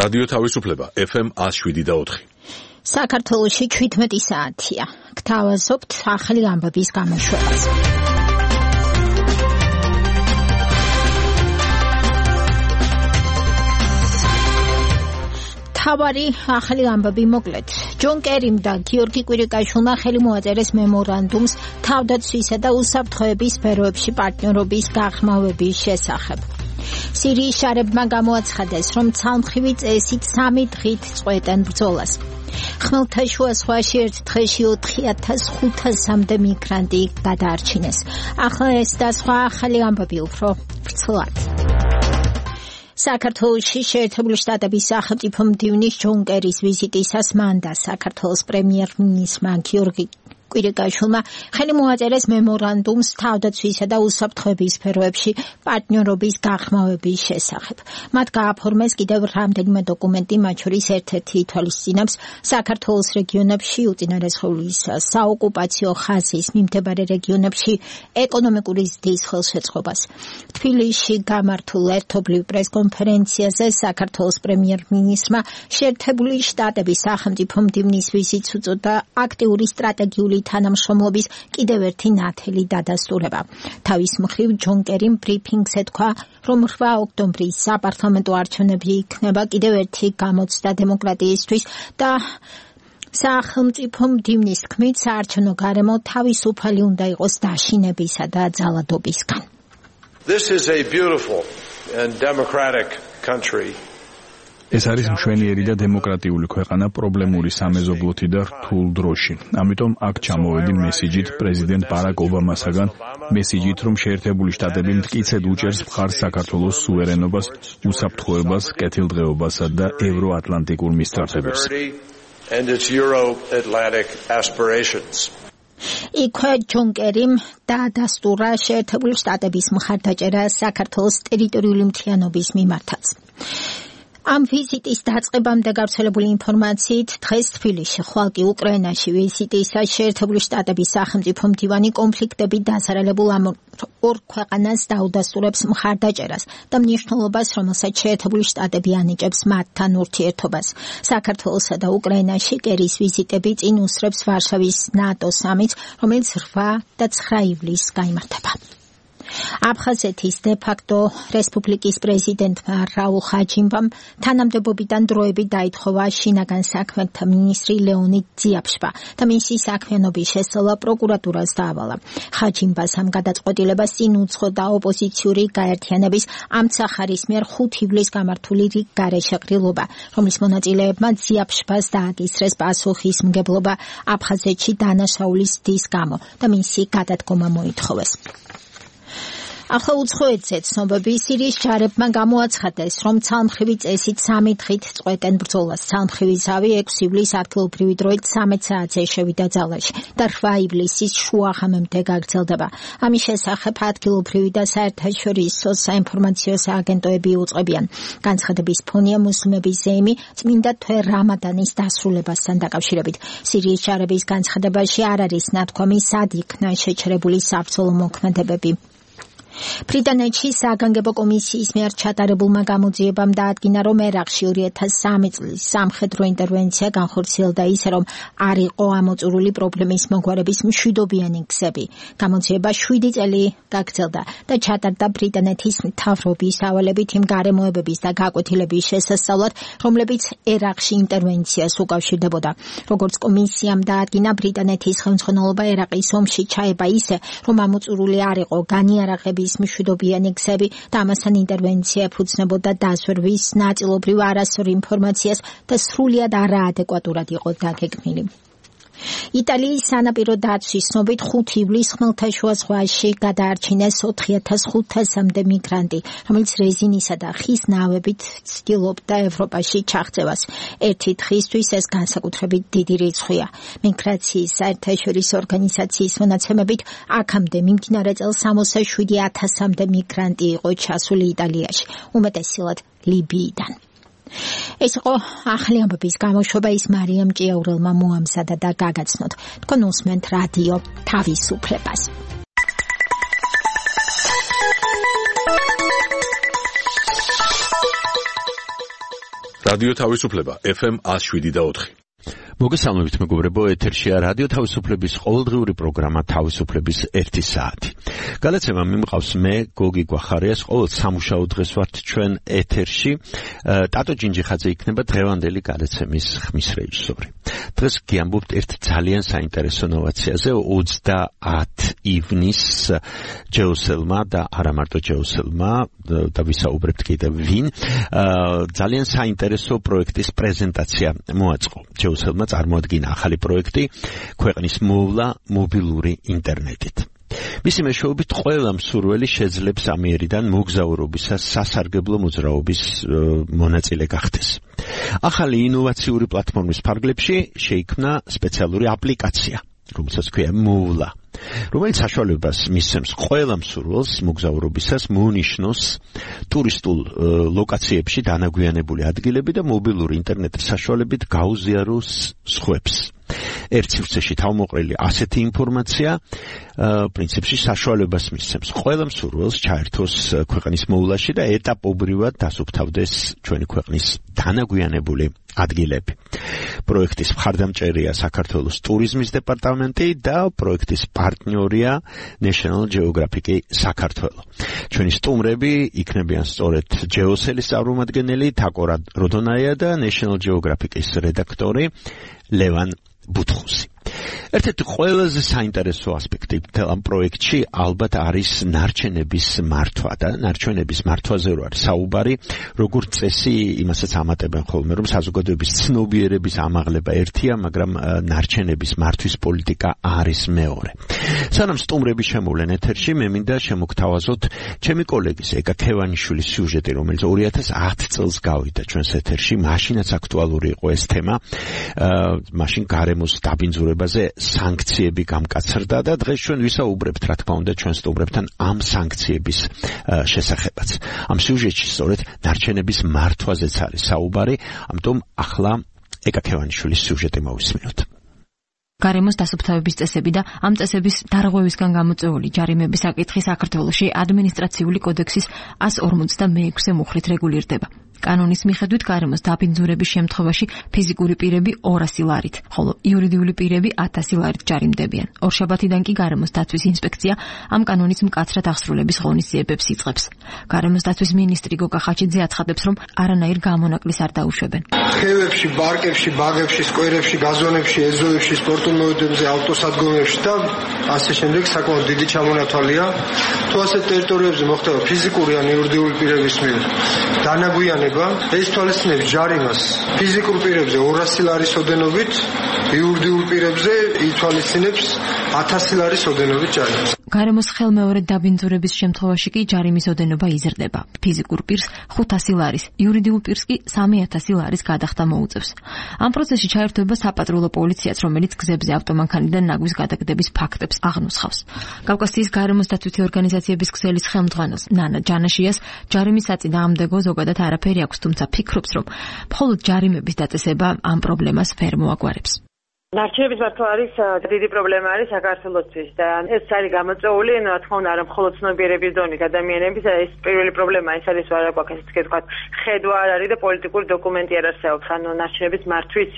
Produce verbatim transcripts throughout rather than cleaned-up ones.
რადიო თავისუფლება ეფ ემ one oh seven და four. საქართველოში თერთმეტი საათია. გთავაზობთ ახალი ამბების გამოშვებას. თავარი ახალი ამბები მოკლედ. ჯონ კერიმ და გიორგი კვირიკაშვილმა ხელი მოაწერეს მემორანდუმს თავდაცვისა და უსაფრთხოების სფეროებში პარტნიორობის გაღრმავების შესახებ. სირიის შარებმა გამოაცხადეს, რომ ცალმხრივი წესით სამი დღით წყვეტენ ბრძოლას. ხმელთაშუა ზღვაში ერთ დღეში ოთხი ათას ხუთასამდე მიგრანტი გადაარჩინეს. ახლა ეს და სხვა ახალი ამბები უფრო ვრცლად. საქართველოში შეერთებული შტატების სახელმწიფო მდივნის ჯონ კერის ვიზიტისას მან და საქართველოს პრემიერ-მინისტრმა გიორგი კვირიკაშვილმა ხელი მოაწერეს მემორანდუმს თავდაცვისა და უსაფრთხოების სფეროებში პარტნიორობის გაღრმავების შესახებ. მათ გააფორმეს კიდევ რამდენიმე დოკუმენტი, მათ შორის ერთ-ერთი ითვალისწინებს საქართველოს რეგიონებში უწინარესხეულის საოკუპაციო ხაზის მიმდებარე რეგიონებში ეკონომიკური ზრდის ხელშეწყობას. თბილისში გამართულ ერთობლივ პრესკონფერენციაზე საქართველოს პრემიერ-მინისტრმა შეერთებული შტატების სახელმწიფო მდივნის ვიზიტს უწოდა აქტიური სტრატეგიული თანამშრომლობის კიდევ ერთი ნათელი დადასტურება. თავის მხრივ ჯონ კერიმ ბრიფინგზე თქვა, რომ რვა ოქტომბრის საპარლამენტო არჩევნები იქნება კიდევ ერთი გამოცდა დემოკრატიისთვის და სახელმწიფო მდივნის თქმით, საარჩევნო გარემო თავისუფალი უნდა იყოს დაშინებისა და ძალადობისგან. This is a beautiful and democratic country. ეს არის მშვენიერი და დემოკრატიული ქვეყანა პრობლემური სამეზობლოთი და რთულ დროში. ამიტომ აქ ჩამოვედი მესიჯით პრეზიდენტ ბარაკ ობამასაგან, მესიჯით, რომ შეერთებული შტატები მტკიცედ უჭერს მხარს საქართველოს სუვერენობას, უსაფრთხოებას, კეთილდღეობასა და ევროატლანტიკურ მისწრაფებებს. იქვე ჯონ კერიმ დაადასტურა შეერთებული შტატების მხარდაჭერა საქართველოს ტერიტორიული მთლიანობის მიმართაც. ამ ვიზიტის დაწყებამდე გავრცელებული ინფორმაციით დღეს თბილისში, ხვალ კი უკრაინაში ვიზიტისას შეერთებული შტატების სახელმწიფო მდივანი კონფლიქტებით დასარალებულ ამ ორ ქვეყანას დაუდასტურებს მხარდაჭერას და მნიშვნელობას, რომელსაც შეერთებული შტატები ანიჭებს მათთან ურთიერთობას. საქართველოსა და უკრაინაში კერის ვიზიტები წინ უსწრებს ვარშავის ნატო სამიტს, რომელიც რვა და ცხრა ივლისს გაიმართება. აფხაზეთის დე-ფაქტო რესპუბლიკის პრეზიდენტმა რაულ ხაჯიმბამ თანამდებობიდან დროებით დაითხოვა შინაგან საქმეთა მინისტრი ლეონიდ ძიაფშვა და მისი საქმიანობის შესწავლა პროკურატურას დაავალა. ხაჯიმბას ამ გადაწყვეტილებას წინ უძღოდა ოპოზიციური გაერთიანების ამცახარის მიერ ხუთი ივლისს გამართული რიგ გარეშეყრილობა, რომლის მონაწილეებმა ძიაფშვას დააკისრეს პასუხისმგებლობა აფხაზეთში დანაშაულის ზრდის გამო და მისი გადადგომა მოითხოვეს. ახლა უცხოეთზე ცნობები სირიის ჯარებმა გამოაცხადეს, რომ ცალმხრივი წესით სამი დღით წყვეტენ ბრძოლას. ცალმხრივი ზავი ექვსი ივლისს ადგილობრივი დროით ცამეტ საათზე შევიდა ძალაში და რვა ივლისის შუაღამემდე გაგრძელდება. ამის შესახებ ადგილობრივი და საერთაშორისო საინფორმაციო სააგენტოები უწყებიან. განცხადების ფონია მუსლიმების ზეიმი წმინდა თვე რამადანის დასრულებასთან დაკავშირებით. სირიის ჯარების განცხადებაში არ არის ნათქვამი, სად იქნა შეჩერებული საბრძოლო მოქმედებები. ბრიტანეთში საგანგებო კომისიის მიერ ჩატარებულმა გამოძიებამ დაადგინა, რომ ერაყში ორი ათას სამი წლის სამხედრო ინტერვენცია განხორციელდა ისე, რომ არ იყო ამოწურული პრობლემის მოგვარების მშვიდობიანი გზები. გამოძიება შვიდი წელი გაგრძელდა და ჩატარდა ბრიტანეთის მთავრობის ავალებით იმ გარემოებების და გაკვეთილების შესასწავლად, რომლებიც ერაყში ინტერვენციას უკავშირდებოდა. როგორც კომისიამ დაადგინა, ბრიტანეთის ხელმძღვანელობა ერაყის ომში ჩაება ისე, რომ ამოწურული არ იყო განიარაღების მშვიდობიანი გზები და ამასთან ინტერვენცია ეფუძნებოდა დაზვერვის, ნაწილობრივ არასწორ ინფორმაციას და სრულიად არაადეკვატურად იყო დაგეგმილი. იტალიის სანაპირო დაცვის ცნობით ხუთი ივლისს ხმელთაშუა ზღვაში გადაარჩინეს ოთხი ათას ხუთასამდე მიგრანტი, რომელიც რეზინისა და ხის ნავებით ცდილობდა ევროპაში ჩაღწევას. ერთი დღისთვის ეს განსაკუთრებით დიდი რიცხვია. მიგრაციის საერთაშორისო ორგანიზაციის მონაცემებით აქამდე მიმდინარე წელს სამოცდაშვიდი ათასამდე მიგრანტი იყო ჩასული იტალიაში, უმეტესწილად ლიბიიდან. ეს იყო ახალი ამბების გამოშვება, ის მარიამ ჭიაურელმა მოამზადა და გაგაცნოთ. თქვენ უსმენთ რადიო თავისუფლებას. რადიო თავისუფლება ეფ ემ one oh seven point four. მოგესალმებით მეგობრებო, ეთერშია რადიო თავისუფლების ყოველდღიური პროგრამა თავისუფლების ერთი საათი. გადაცემა მიმყავს მე, გოგი გვახარიას, ყოველ სამუშაო დღეს ვართ ჩვენ ეთერში. ტატო ჯინჯიხაძე იქნება დღევანდელი გადაცემის ხმის რეჟისორი. დღეს გიამბობთ ერთ ძალიან საინტერესო ნოვაციაზე. ოცდაათ ივნისს ჯეოსელმა და არა მარტო ჯეოსელმა და ვისაუბრებთ კიდევ ვინ, ძალიან საინტერესო პროექტის პრეზენტაცია მოაწყო. ჯეოსელმა წარმოადგინა ახალი პროექტი ქვეყნის მოვლა მობილური ინტერნეტით. მისი მეშვეობით ყველა მსურველი შეძლებს ამიერიდან მოგზაურობისას სასარგებლო მოძრაობის მონაწილე გახდეს. ახალი ინოვაციური პლატფორმის ფარგლებში შეიქმნა სპეციალური აპლიკაცია, რომელსაც ქვია მოვლა, რომელიც საშუალებას მისცემს ყველა მსურველს მოგზაურობისას მონიშნოს ტურისტულ ლოკაციებში დანაგვიანებული ადგილები და მობილური ინტერნეტის საშუალებით გაუზიაროს სხვებს. ერთ სივრცეში თავმოყრილი ასეთი ინფორმაცია პრინციპში საშუალებას მისცემს ყველა მსურველს ჩაერთოს ქვეყნის მოვლაში და ეტაპობრივად დასუფთავდეს ჩვენი ქვეყნის დანაგვიანებული ადგილები. პროექტის მხარდამჭერია საქართველოს ტურიზმის დეპარტამენტი და პროექტის პარტნიორია National Geographic საქართველო. ჩვენი სტუმრები იქნებიან სწორედ ჯეოსელის წარმომადგენელი თაკო როდონაია და National Geographic-ის რედაქტორი ლევან ბუთხუსი. ერთ-ერთი ყველაზე საინტერესო ასპექტი ამ პროექტში ალბათ არის ნარჩენების მართვა და ნარჩენების მართვაზე რო არის საუბარი, როგორც წესი იმასაც ამატებენ ხოლმე, რომ საზოგადოების ცნობიერების ამაღლება ერთია, მაგრამ ნარჩენების მართვის პოლიტიკა არის მეორე. სანამ სტუმრები შემოვლენ ეთერში, მე მინდა შემოგთავაზოთ ჩემი კოლეგის ეკა ქევანიშვილის სიუჟეტი, რომელიც ორი ათას ათ წელს გავიდა ჩვენს ეთერში, მაშინაც აქტუალური იყო ეს თემა, მაშინ გარემოს დაბინძურებაზე სანქციები გამკაცრდა და დღეს ჩვენ ვისაუბრებთ, რა თქმა უნდა, ჩვენ სტუმრებთან ამ სანქციების შესახებაც. ამ სიუჟეტში სწორედ ნარჩენების მართვაზეც არის საუბარი, ამიტომ ახლა ეკა ქევანიშვილის სიუჟეტი მოვისმინოთ. გარემოს დასუფთავების წესები და ამ წესების დარღვევისგან გამოწვეული ჯარიმების საკითხი საქართველოში ადმინისტრაციული კოდექსის one forty-six მუხლით რეგულირდება. კანონის მიხედვით გარემოს დაბინძურების შემთხვევაში ფიზიკური პირები ორასი ლარით, ხოლო იურიდიული პირები ათასი ლარით ჯარიმდებიან. ორშაბათიდან კი გარემოს დაცვის ინსპექცია ამ კანონის მკაცრად აღსრულების ღონისძიებებს იწყებს. გარემოს დაცვის მინისტრი გოგა ხაჩიძე აცხადებს, რომ არანაირ გამონაკლისს არ დაუშვებენ. ხევებში, ბარკებში, ბაღებში, სკვერებში, გაზონებში, ეზოებში, სპორტულ მოედნებზე, ავტოსადგომებში და ასე შემდეგ საკმაოდ დიდი ჩამონათვალია. თუ ასეთ ტერიტორიებზე მოხდება ფიზიკური ან იურიდიული პირების მიერ დანაგვიანება, ეს თვალისწინებს ჯარიმას ფიზიკურ პირებზე ორასი ლარის ოდენობით, იურიდიულ პირებზე ითვალისწინებს ათასი ლარის ოდენობით ჯარიმას. გარემოს ხელმეორედ დაბინძურების შემთხვევაში კი ჯარიმის ოდენობა იზრდება. ფიზიკურ პირს ხუთასი ლარის, იურიდიულ პირს კი სამი ათასი ლარის გადახდა მოუწევს. ამ პროცესში ჩაერთვება საპატრულო პოლიციაც, რომელიც გზებზე ავტომანქანიდან ნაგვის გადაგდების ფაქტებს აღნუსხავს. კავკასიის გარემოს დაცვითი ორგანიზაციების ქსელის ხელმძღვანელს ნანა ჯანაშიას ჯარიმის საწინააღმდეგო ზოგადად არაფერი აქვს, თუმცა ფიქრობს, რომ მხოლოდ ჯარიმების დაწესება ამ პრობლემას ვერ მოაგვარებს. ნარჩენების მართვა არის დიდი პრობლემა არის საქართველოსთვის და ეს არის გამოწვეული, რა თქმა უნდა, არა მხოლოდ ცნობიერების დონით ადამიანების, ეს პირველი პრობლემა ის არის, რა გვაქვს ესე ვთქვათ, ხედვა არ არის და პოლიტიკური დოკუმენტი არ არსებობს, ანუ ნარჩენების მართვის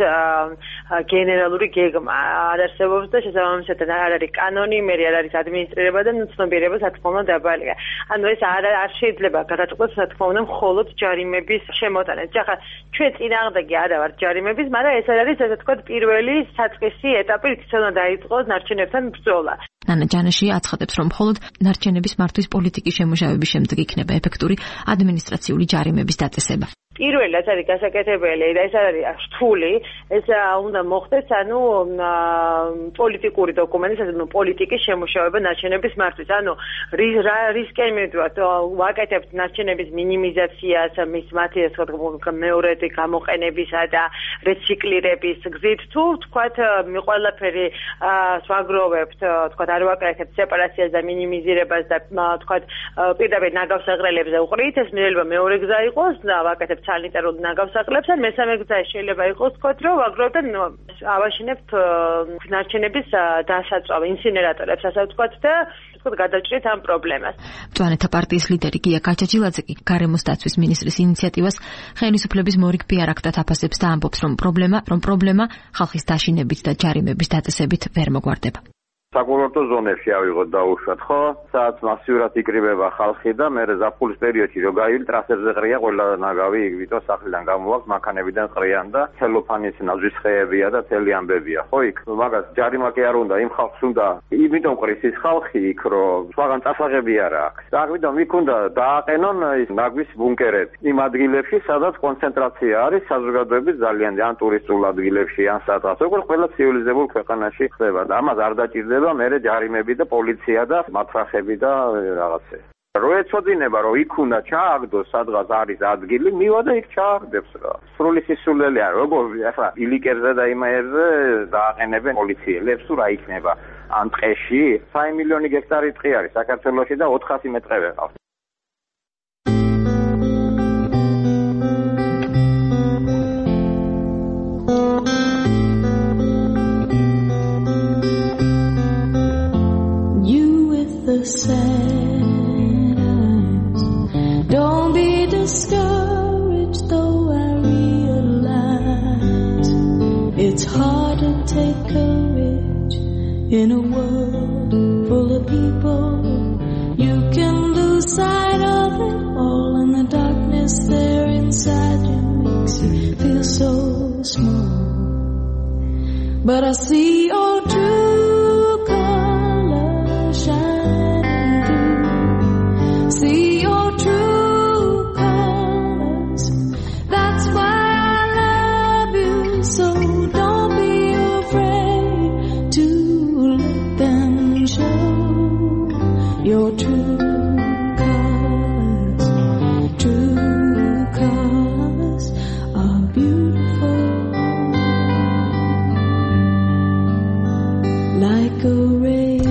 გენერალური გეგმა არ არსებობს და შესაბამისად არ არის კანონი, მე არ არის ადმინისტრირება და ცნობიერება რა თქმა უნდა დაბალია. ანუ ეს არ არ შეიძლება გადაწყვეტოს რა თქმა უნდა მხოლოდ ჯარიმების შემოტანით. ახლა ჩვენ წინააღმდეგი არა ვართ ჯარიმების, მაგრამ ეს არის ესე ვთქვათ პირველი საწყისი ეტაპი, რის უნდა დაიწყოს ნარჩენებთან ბრძოლა. ნანა ჯანაში აცხადებს, რომ მხოლოდ ნარჩენების მართვის პოლიტიკის შემოშავების შემდეგ იქნება ეფექტური ადმინისტრაციული ჯარიმების დაწესება. პირველი რაც არის გასაკეთებელი და ეს არის რთული, ეს უნდა მოხდეს, ანუ პოლიტიკური დოკუმენტის, ანუ პოლიტიკის შემუშავება ნარჩენების მართვის. ანუ რა რისკი მივიდოთ, ვაკეთებთ ნარჩენების მინიმიზაციას, მის მათი ასე ვთქვათ, მეორედი გამოყენებისა და რეციკლირების გზით, თუ ვთქვათ, ყველაფერი სვაგროვებთ, ვთქვათ, არ ვაკეთებთ სეპარაციას და მინიმიზირებას და ვთქვათ, პირდაპირ ნაგავს აღრელებზე უყრით, ეს შეიძლება მეორე გზა იყოს და ვაკეთებთ სანიტარულ ნაგავსახლებს ან მესამე გზა შეიძლება იყოს თქვათ რომ ვაგროვებთ ავაშენებთ ნარჩენების დასაწვავ ინსინერატორებს ასე ვთქვათ და ვთქვათ გადავჭრით ამ პრობლემას. მწვანეთა პარტიის ლიდერი გია გაჩაჯილაძე კი გარემოს დაცვის მინისტრის ინიციატივას ხელისუფლების მორიგ პიარ აქტად აფასებს და ამბობს რომ პრობლემა რომ პრობლემა ხალხის დაშინებით და ჯარიმების დაწესებით ვერ მოგვარდება. საკურორტო ზონებში ავიღოთ დაუშვათ, ხო? სადაც მასიურად იკრიბება ხალხი და მე ზაფხულის პერიოდში რო გაივლის ტრასებზე ყრია ყველა ნაგავი იქ ვიტო სახლიდან გამოაქვს მანქანებიდან ყრიან და ცელოფანის ნაძვის ხეებია და თელი ამბებია, ხო იქ? მაგას ჯარიმა კი არ უნდა, იმ ხალხს უნდა იმიტომ ყრის ის ხალხი იქ რომ სხვაგან წასაღები არ აქვს. და ამიტომ იქ უნდა დააყენონ ის ნაგვის ბუნკერები იმ ადგილებში, სადაც კონცენტრაცია არის საზოგადოების ძალიან ან ტურისტულ ადგილებში ან სადღაც. როგორც ყველა ცივილიზებულ ქვეყანაში ხდება და ამას არ დაჭირდება მერე ჯარიმები და პოლიცია და მათრახები და რაღაცე. რო ეცოდინება რომ იქ უნდა ჩააგდოს სადღაც არის ადგილი, მივა და იქ ჩააგდებს რა. სრული სისულელი არ როგორ ახლა ილიკერზე და იმაერზე დააყენებენ პოლიციელებს თუ რა იქნება ამ ტყეში სამი მილიონი გექტარი ტყე არის საქართველოში და ოთხასი მეტრები ყავს. The sad eyes. Don't be discouraged, though I realize it's hard to take courage in a world full of people. You can lose sight of it all, and the darkness there inside you makes you feel so small. But I see all true colors shine. See your true colors. That's why I love you. So don't be afraid to let them show your true colors. True colors are beautiful, like a rainbow.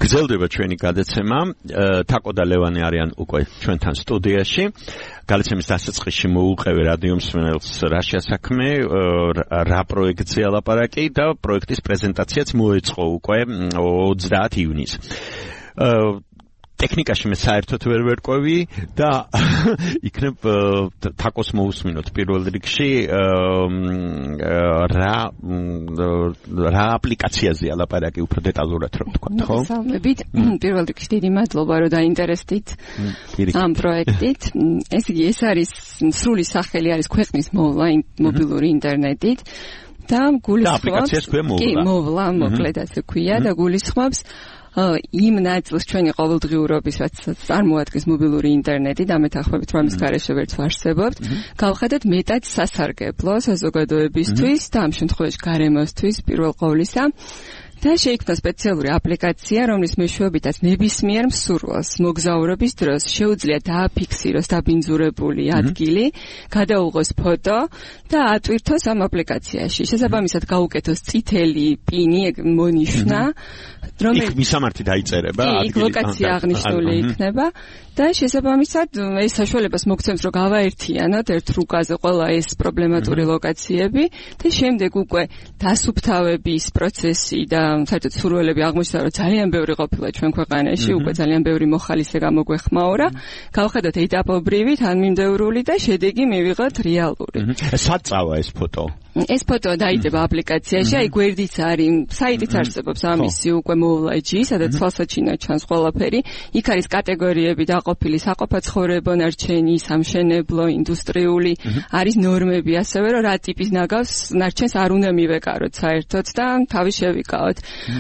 გრძელდება ჩვენი გადაცემა. თაკო და ლევანი არიან უკვე ჩვენთან სტუდიაში. გადაცემის დასაწყისში მოუყევი რადიო მსმენელს რა შეასაქმე, რა პროექტზე ლაპარაკი და პროექტის პრეზენტაციაც მოეწყო უკვე ოცდაათი ივნისს. ტექნიკაში მე საერთოდ ვერ ვერკვევი და იქნებ თაკოს მოусმინოთ პირველ რიგში რა რა აპლიკაციაზეა ლაპარაკი უფრო დეტალურად რომ თქვა, ხო? მოგესალმებით. პირველ რიგში დიდი მადლობა რომ დაინტერესდით ამ პროექტით. ეს იგი ეს არის სრული სახელი არის ქვეყნის მოვლა მობილური ინტერნეტით და გულისხმობს კი მოვლა მოკლედ ასე ქვია და გულისხმობს იმ ნაწილს ჩვენი ყოველდღიურობის რაც წარმოადგენს მობილური ინტერნეტი და მეთანხმებით რომ ამის გარეშე ვერც ვარსებობთ, გავხადოთ მეტად სასარგებლო საზოგადოებისთვის და ამ შემთხვევაში გარემოსთვის პირველ ყოვლისა. და შეიქმნა სპეციალური აპლიკაცია, რომლის მეშვეობითაც ნებისმიერ მსურველს მოგზაურობის დროს შეუძლია დააფიქსიროს დაბინძურებული ადგილი, გადაუღოს ფოტო და ატვირთოს ამ აპლიკაციაში. შესაბამისად გაუკეთოს წითელი პინი მონიშნა, რომელიც იქ მისამართი დაიწერება, ადგილი. იქ ლოკაცია აღნიშნული იქნება და შესაბამისად ეს საშუალებას მოგცემს რომ გავაერთიანოთ ერთ რუკაზე ყველა ეს პრობლემატური ლოკაციები და შემდეგ უკვე დასუფთავების პროცესი და საერთოდ სურვილები აღმოჩნდა რომ ძალიან ბევრი ყოფილა ჩვენ ქვეყანაში, უკვე ძალიან ბევრი მოხალისე გამოგვეხმაურა. გავხედოთ ეტაპობრივი, თანმიმდევრული და შედეგი მივიღოთ რეალური. სად წავა ეს ფოტო? ეს ფოტო დაიდება აპლიკაციაში, აი გვერდიც არის, საიტიც არსებობს ამისი უკვე მოვლა.ჯი, სადაც თვალსაჩინო ჩანს ყველაფერი. იქ არის კატეგორიები დაყოფილი საყოფაცხოვრებო ნარჩენი, სამშენებლო, ინდუსტრიული, არის ნორმები ასევე რომ რა ტიპის ნაგავს ნარჩენს არ უნდა მივეკაროთ საერთოდ და თავი შევიკავოთ.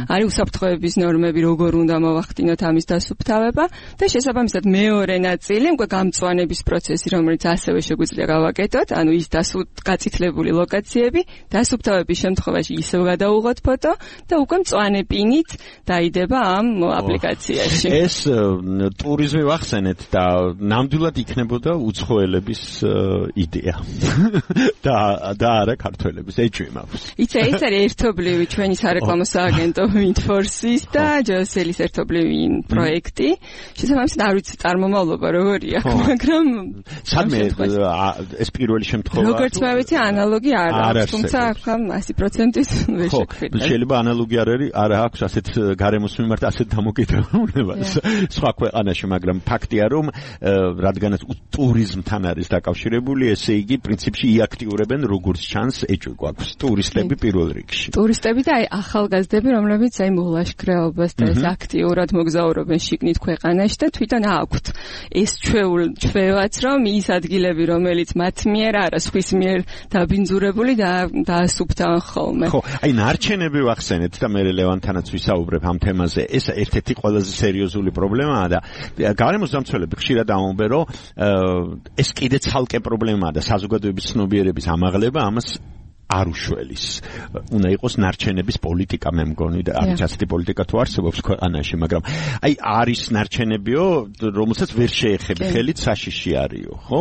არის უსაფრთხოების ნორმები, როგორ უნდა მოვახდინოთ ამის დასუფთავება და შესაბამისად მეორე ნაწილი უკვე გამწვანების პროცესი, რომელიც ასევე შეგვიძლია გავაკეთოთ, ანუ ის გაწითლებული ლოკაციები, დასუფთავების შემთხვევაში ისევ გადაუღოთ ფოტო და უკვე მწვანე პინით დაიდება ამ აპლიკაციაში. ეს ტურიზმი ვახსენეთ და ნამდვილად იქნებოდა უცხოელების იდეა. და და არა ქართველების, ეჭვი მაქვს. იცი, ეს არის ერთობლივი ჩვენი სარეკლამო სააგენტო Windforce-ის და ჯოსელის ერთობლივი პროექტი. შესაბამისად არ ვიცი წარმომავლობა როგორია, მაგრამ სადმე ეს პირველი შემთხვევა. როგორც მე ვიცი, ანალოგი არ აქვს, თუმცა ახლა ასი პროცენტის ვერ შეგვიძლია. შეიძლება ანალოგი არ არის, არ აქვს ასეთ გარემოს მიმართ ასეთ დამოკიდებულებას სხვა ქვეყანაში, მაგრამ ფაქტია რომ რადგანაც ტურიზმთან არის დაკავშირებული, ესე იგი პრინციპში იაქტიურებენ როგორც ჩანს ეჭვი გვაქვს ტურისტები პირველ რიგში. ტურისტები და აი ახალგაზრდები, რომლებიც აი მოვლაშქრეობას და ეს აქტიურად მოგზაურობენ შიგნით ქვეყანაში და თვითონ აქვთ ეს ჩვევაც რომ ის ადგილები რომელიც მათ მიერ არა სხვის მიერ დაბინძურებული და დაასუფთავენ ხოლმე. ხო, აი ნარჩენები ვახსენეთ და მე ლევანთანაც ვისაუბრებ ამ თემაზე. ეს ერთ-ერთი ყველაზე სერიოზული პრობლემაა და გარემოს დამცველები ხშირად ამბობენ რომ ეს კიდე ცალკე პრობლემაა და საზოგადოების ცნობიერების ამაღლება ამას არ უშველის. უნდა იყოს ნარჩენების პოლიტიკა, მე მგონი და არის ასეთი პოლიტიკა თუ არსებობს ქვეყანაში, მაგრამ აი არის ნარჩენებიო, რომელსაც ვერ შეეხები ხელით საშიში არისო, ხო?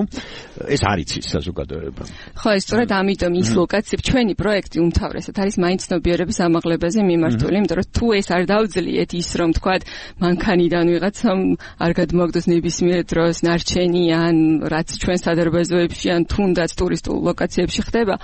ეს არის ის საზოგადოება. ხო, ეს სწორედ ამიტომ ის ლოკაციები, ჩვენი პროექტი უმთავრესად არის მაინც ცნობიერების ამაღლებაზე მიმართული, იმიტომ რომ თუ ეს არ დავძლიეთ ის რომ თქვათ მანქანიდან ვიღაცამ არ გადმოაგდოს ნებისმიერ დროს ნარჩენი ან რაც ჩვენ სადარბაზოებში ან თუნდაც ტურისტულ ლოკაციებში ხდება,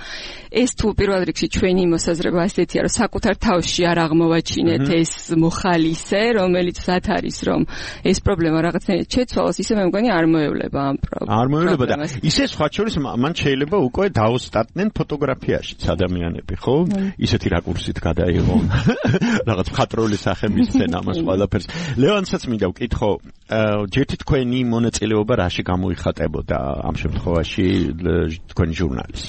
ეს თუ პირველ რიგში ჩვენი მოსაზრება ასეთია, რომ საკუთარ თავში არ აღმოვაჩინეთ ეს მოხალისე, რომელიც საც არის, რომ ეს პრობლემა რაღაცნაირად შეცვალოს, ისე მე მგონი არ მოევლება ამ პრობლემას. არ მოევლება და ისე სხვა შორის მან შეიძლება უკვე დაოსტატნენ ფოტოგრაფიაში ადამიანები, ხო? ისეთი რაკურსით გადაიღონ. რაღაც მხატვრული სახების სცენა მას ყველაფერს. ლევანსაც მინდა ვკითხო, ჯერთი თქვენი მონაწილეობა რაში გამოიხატებოდა ამ შემთხვევაში თქვენი ჟურნალის?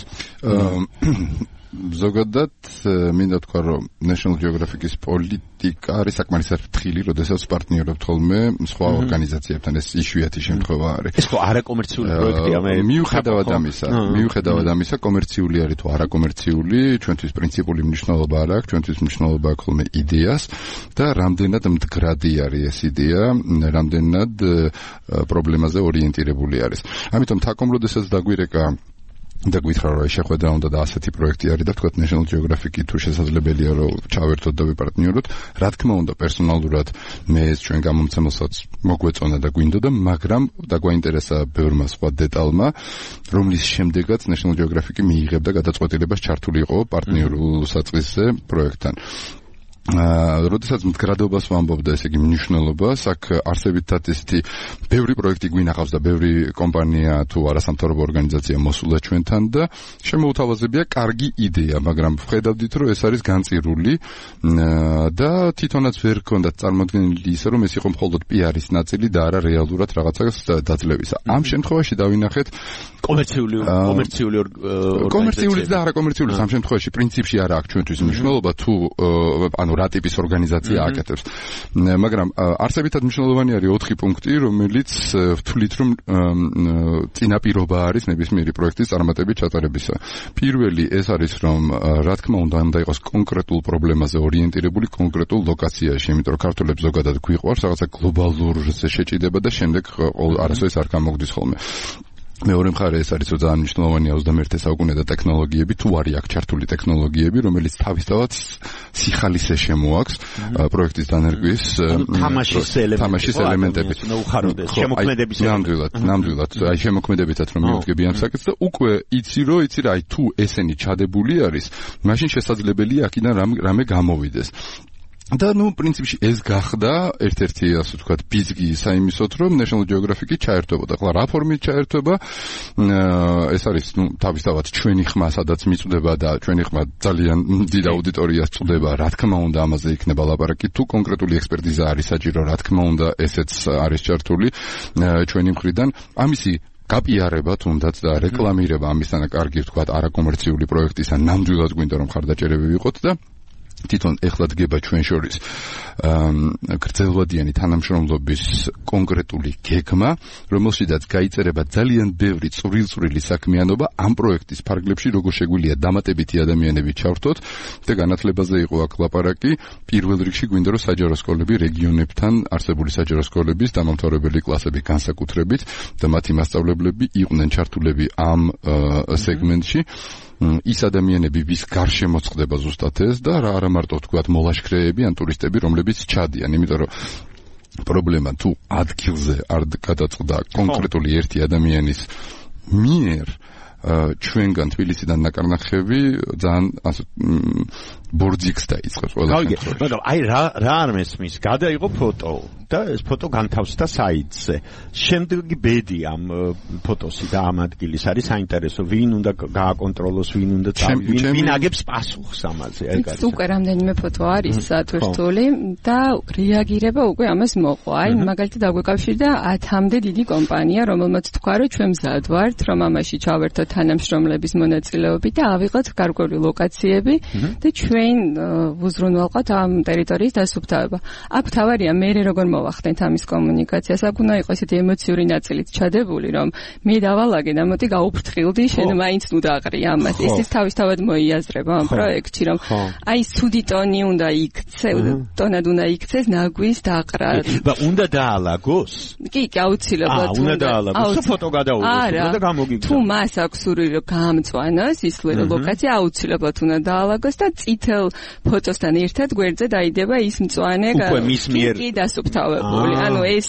ზოგადად მინდა თქვა რომ National Geographic-ის პოლიტიკა არის საკმარისად ფრთხილი, როდესაც პარტნიორობთ ხოლმე სხვა ორგანიზაციებთან, ეს იშვიათი შემთხვევა არის. ეს ხო არაკომერციული პროექტია, მე მიუხედავად ამისა, მიუხედავად ამისა, კომერციული არის თუ არაკომერციული, ჩვენთვის პრინციპული მნიშვნელობა არ აქვს, ჩვენთვის მნიშვნელობა აქვს ხოლმე იდეას და რამდენად მდგრადი არის ეს იდეა, რამდენად პრობლემაზე ორიენტირებული არის. ამიტომ თაკომ როდესაც დაგვირეკა და გითხრა რომ შეხვედრა უნდა და ასეთი პროექტი არის და თქვა National Geographic-ი თუ შესაძლებელია რომ ჩავერთოთ და ვიპარტნიოროთ, რა თქმა უნდა პერსონალურად მე ეს ჩვენ გამომცემელსაც მოგვეწონა და გვინდოდა, მაგრამ და გვაინტერესა ბევრმა სხვა დეტალმა, რომლის შემდეგაც National Geographic-ი მიიღებდა გადაწყვეტილებას ჩართული იყო პარტნიორულ საწყისზე პროექტთან. როდესაც მდგრადობას ვამბობდა, ესე იგი მნიშვნელობას, აქ არსებითად ესეთი ბევრი პროექტი გვინახავს და ბევრი კომპანია თუ არასამთავრობო ორგანიზაცია მოსულა ჩვენთან და შემოუთავაზებია კარგი იდეა, მაგრამ ვხედავდით, რომ ეს არის განწირული და თვითონაც ვერ გქონდათ წარმოქმნილი ისე, რომ ეს იყო მხოლოდ პი-არის ნაწილი და არა რეალურად რაღაცას დაძლევისა. ამ შემთხვევაში დავინახეთ კომერციული კომერციული კომერციული და არაკომერციული ამ შემთხვევაში პრინციპში არა აქვს ჩვენთვის მნიშვნელობა თუ ანუ რა ტიპის ორგანიზაცია აკეთებს. მაგრამ არსებითად მნიშვნელოვანი არის ოთხი პუნქტი, რომელიც ვთვლით, რომ წინაპირობა არის ნებისმიერი პროექტის წარმატებით ჩატარებისა. პირველი ეს არის, რომ რა თქმა უნდა უნდა იყოს კონკრეტულ პრობლემაზე ორიენტირებული კონკრეტულ ლოკაციაში, იმიტომ რომ ქართველებს ზოგადად გვიყვარს რაღაცა გლობალურზე შეჭიდება და შემდეგ არასოდეს არ გამოგდის ხოლმე. მეორე მხარე ეს არის, რომ ძალიან მნიშვნელოვანია ოცდამეერთე საუკუნე და ტექნოლოგიები, თუ არის აქ ჩართული ტექნოლოგიები, რომელიც თავისთავად სიხალისე შემოაქვს პროექტის დანერგვის თამაშის ელემენტები. შემოქმედების ნამდვილად, ნამდვილად, აი შემოქმედებითაც რომ მივდგები ამ საკითხს და უკვე იცი რომ იცი რა, აი თუ ესენი ჩადებული არის, მაშინ შესაძლებელია აქედან რამე გამოვიდეს. და ნუ პრინციპში ეს გახდა ერთ-ერთი ასე ვთქვათ ბიზგი საიმისოთ, რომ National Geographic-ი ჩაერთვებოდა. ახლა რა ფორმით ჩაერთვება? ეს არის ნუ თავისთავად ჩვენი ხმა, სადაც მიწვდება და ჩვენი ხმა ძალიან დიდ აუდიტორიას წვდება. რა თქმა უნდა, ამაზე იქნება ლაპარაკი. თუ კონკრეტული ექსპერტიზა არის საჭირო, რა თქმა უნდა, ესეც არის ჩართული ჩვენი მხრიდან. ამისი გაპიარება თუნდაც და რეკლამირება ამისთანა კარგი ვთქვათ არაკომერციული პროექტისა ნამდვილად გვინდა რომ ხარდაჭერები ვიყოთ და თვითონ ეხლა დგება ჩვენ შორის გრძელვადიანი თანამშრომლობის კონკრეტული გეგმა, რომელშიც გაიწერება ძალიან ბევრი წვრილ-წვრილი საქმიანობა ამ პროექტის ფარგლებში, როგორ შეგვიძლია დამატებითი ადამიანები ჩავრთოთ და განათლებაზე იყო აქ ლაპარაკი. პირველ რიგში გვინდა რომ საჯარო სკოლები რეგიონებთან არსებული საჯარო სკოლების დამამთავრებელი კლასები განსაკუთრებით და მათი მასწავლებლები იყვნენ ჩართულები ამ სეგმენტში. ის ადამიანები, ვის გარშემო წდება ზუსტად ეს და რა არა მარტო თქვათ მოლაშქრეები ან ტურისტები, რომლებიც ჩადიან, იმიტომ რომ პრობლემა თუ ადგილზე არ გადაწყდა კონკრეტული ერთი ადამიანის მიერ ჩვენგან თბილისიდან ნაკარნახევი ძალიან ასე ბორძიქს დაიწყებს ყველა შემთხვევაში. მაგრამ აი რა რა არ მესმის, გადაიღო ფოტო და ეს ფოტო განთავსდა საიტზე. შემდეგი ბედი ამ ფოტოსი და ამ ადგილის არის საინტერესო, ვინ უნდა გააკონტროლოს, ვინ უნდა ვინ ვინ აგებს პასუხს ამაზე, ეგ არის. უკვე რამდენიმე ფოტო არის სატვირთული და რეაგირება უკვე ამას მოყვა. აი მაგალითად დაგვეკავშირდა ათამდე დიდი კომპანია, რომელმაც თქვა, რომ ჩვენ მზად ვართ, რომ ამაში ჩავერთოთ თანამშრომლების მონაწილეობით და ავიღოთ გარკვეული ლოკაციები და ჩვენ ვუზრუნველყოთ ამ ტერიტორიის დასუფთავება. აქ თავარია მე როგორ მოვახდენთ ამის კომუნიკაციას, აქ უნდა იყოს ესეთი ემოციური ნაწილიც ჩადებული, რომ მე დავალაგე და მოდი გაუფრთხილდი, შენ მაინც ნუ დაყრი ამას. ეს თავისთავად მოიაზრება ამ პროექტში, რომ აი ცუდი ტონი უნდა იქცე, ტონად უნდა იქცეს ნაგვის დაყრა. და უნდა დაალაგოს? კი, კი, აუცილებლად უნდა დაალაგოს. ფოტო გადაუღოს და გამოგიგზავნოს. თუ მას აქვს სურვილი რომ გაამწვანოს ის ლოკაცია, აუცილებლად უნდა დაალაგოს და წითელ ფოტოსთან ერთად გვერდზე დაიდება ის მწვანე კი დასუფთავებული. ანუ ეს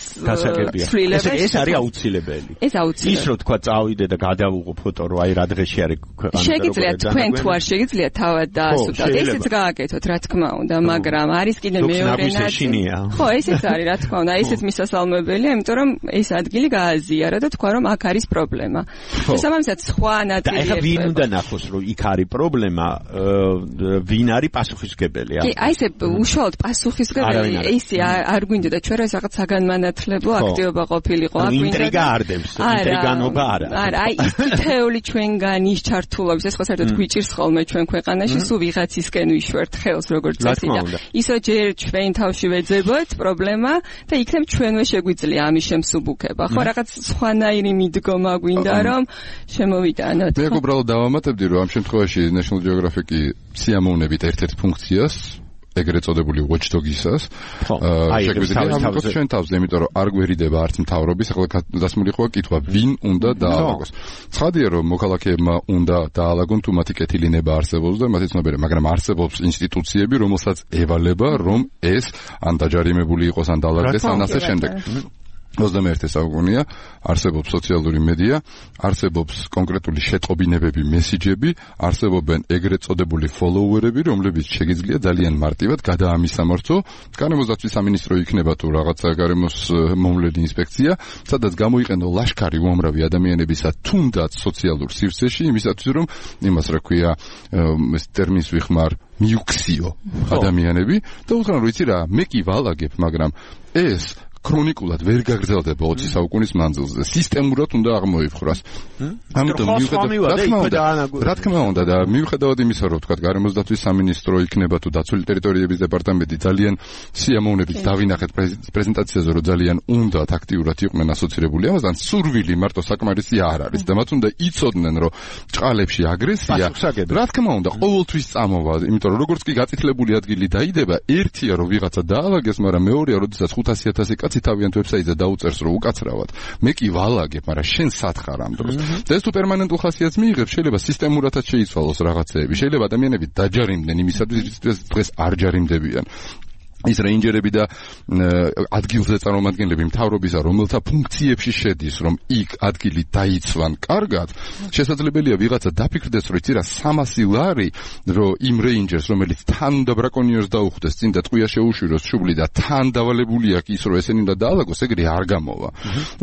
ცვლილება ეს არის აუცილებელი. ეს აუცილებელი. ის რო თქვა წავიდე და გადავუღო ფოტო, რომ აი რა დღეში არის ქვეყანა. შეგიძლია თქვენ თუ არ შეგიძლია თავად დაასუფთავოთ. ესეც გააკეთოთ, რა თქმა უნდა, მაგრამ არის კიდე მეორე ნაწილი. ხო, ესეც არის, რა თქმა უნდა, ესეც მისასალმებელია, იმიტომ რომ ეს ადგილი გააზიარა და თქვა რომ აქ არის პრობლემა. შესაბამისად სხვა ნაწილი. და ეხლა ვინ უნდა ნახოს, რომ იქ არის პრობლემა, ვინ არის პასუხისმგებელი? კი, აი ესე უშუალოდ პასუხისმგებელი ისი არ გვინდა და ჩვენ რა რაღაც საგანმანათლებლო აქტივობა ყოფილიყო, აქ გვინდა. ინტრიგა არ დევს, ინტრიგანობა არა. არა, აი ის თითეული ჩვენგან ის ჩართულობის, ეს ხო საერთოდ გვიჭირს ხოლმე ჩვენ ქვეყანაში, სულ ვიღაცისკენ ვიშვერთ ხელს როგორც წესი და ისო ჯერ ჩვენ თავში ვეძებოთ პრობლემა და იქნებ ჩვენვე შეგვიძლია ამის შემსუბუქება. ხო, რაღაც სხვანაირი მიდგომა გვინდა რომ შემოვიტანოთ. მე უბრალოდ დავამატებდი რომ ამ შემთხვევაში National Geographic-ი სიამოვნებით ერთ-ერთ ფუნქციას ეგრეთ წოდებული watchdog-ისას. შეგვიძლია ამბობთ ჩვენ თავზე, იმიტომ რომ არ გვერიდება არც მთავრობის, ახლა დასმული ხოა კითხვა, ვინ უნდა დაალაგოს. ცხადია, რომ მოქალაქეებმა უნდა დაალაგონ თუ მათი კეთილინება არსებობს და მათი ცნობიერება, მაგრამ არსებობს ინსტიტუციები, რომელსაც ევალება, რომ ეს ან დაჯარიმებული იყოს, ან დაალაგდეს, ან ასე შემდეგ. ოცდამეერთე საუკუნეა, არსებობს სოციალური მედია, არსებობს კონკრეტული შეტყობინებები, მესიჯები, არსებობენ ეგრეთ წოდებული ფოლოუერები, რომლებიც შეგიძლია ძალიან მარტივად გადაამისამართო. გარემოს დაცვის სამინისტრო იქნება თუ რაღაცა გარემოს მომვლელი ინსპექცია, სადაც გამოიყენო ლაშქარი უამრავი ადამიანებისა, თუნდაც სოციალურ სივრცეში, იმისათვის რომ იმას რა ქვია, ეს ტერმინს ვიხმარ, მიუქციო ადამიანები და უთხრან რომ იცი რა, მე კი ვალაგებ, მაგრამ ეს ქრონიკულად ვერ გაგრძელდება ოცი საუკუნის მანძილზე. სისტემურად უნდა აღმოიფხვრას. ამიტომ მიუხედავად რა თქმა უნდა და მიუხედავად იმისა, რომ თქვა გარემოს დაცვის სამინისტრო იქნება თუ დაცული ტერიტორიების დეპარტამენტი ძალიან სიამოვნებით დავინახეთ პრეზენტაციაზე, რომ ძალიან უნდათ აქტიურად იყვნენ ასოცირებული ამასთან, სურვილი მარტო საკმარისი არ არის და მათ უნდა იცოდნენ, რომ ჭყალებში აგრესია რა თქმა უნდა ყოველთვის წამოვა, იმიტომ რომ როგორც კი გაწითლებული ადგილი დაიდება, ერთია რომ ვიღაცა დაალაგეს, მაგრამ მეორეა, როდესაც ხუთასი ათასი კაცი თავიანთ ვებსაიტზე დაუწერს რომ უკაცრავად მე კი ვალაგებ, მაგრამ შენ სათხარ ამ დროს. და ეს თუ პერმანენტულ ხასიათს მიიღებს, შეიძლება სისტემურადაც შეიცვალოს რაღაცეები, შეიძლება ადამიანები დაჯარიმდნენ იმისათვის, რის დღეს არ ჯარიმდებიან. ის რეინჯერები და ადგილზე წარმომადგენლები მთავრობისა, რომელთა ფუნქციებში შედის, რომ იქ ადგილი დაიცვან კარგად, შესაძლებელია ვიღაცა დაფიქრდეს, რომ იცი რა სამასი ლარი, რომ იმ რეინჯერს, რომელიც თან და ბრაკონიერს დაუხვდეს, წინ და ტყვია შეუშვიროს შუბლი და თან დავალებული აქვს ის, რომ ესენი უნდა დაალაგოს, ეგრე არ გამოვა.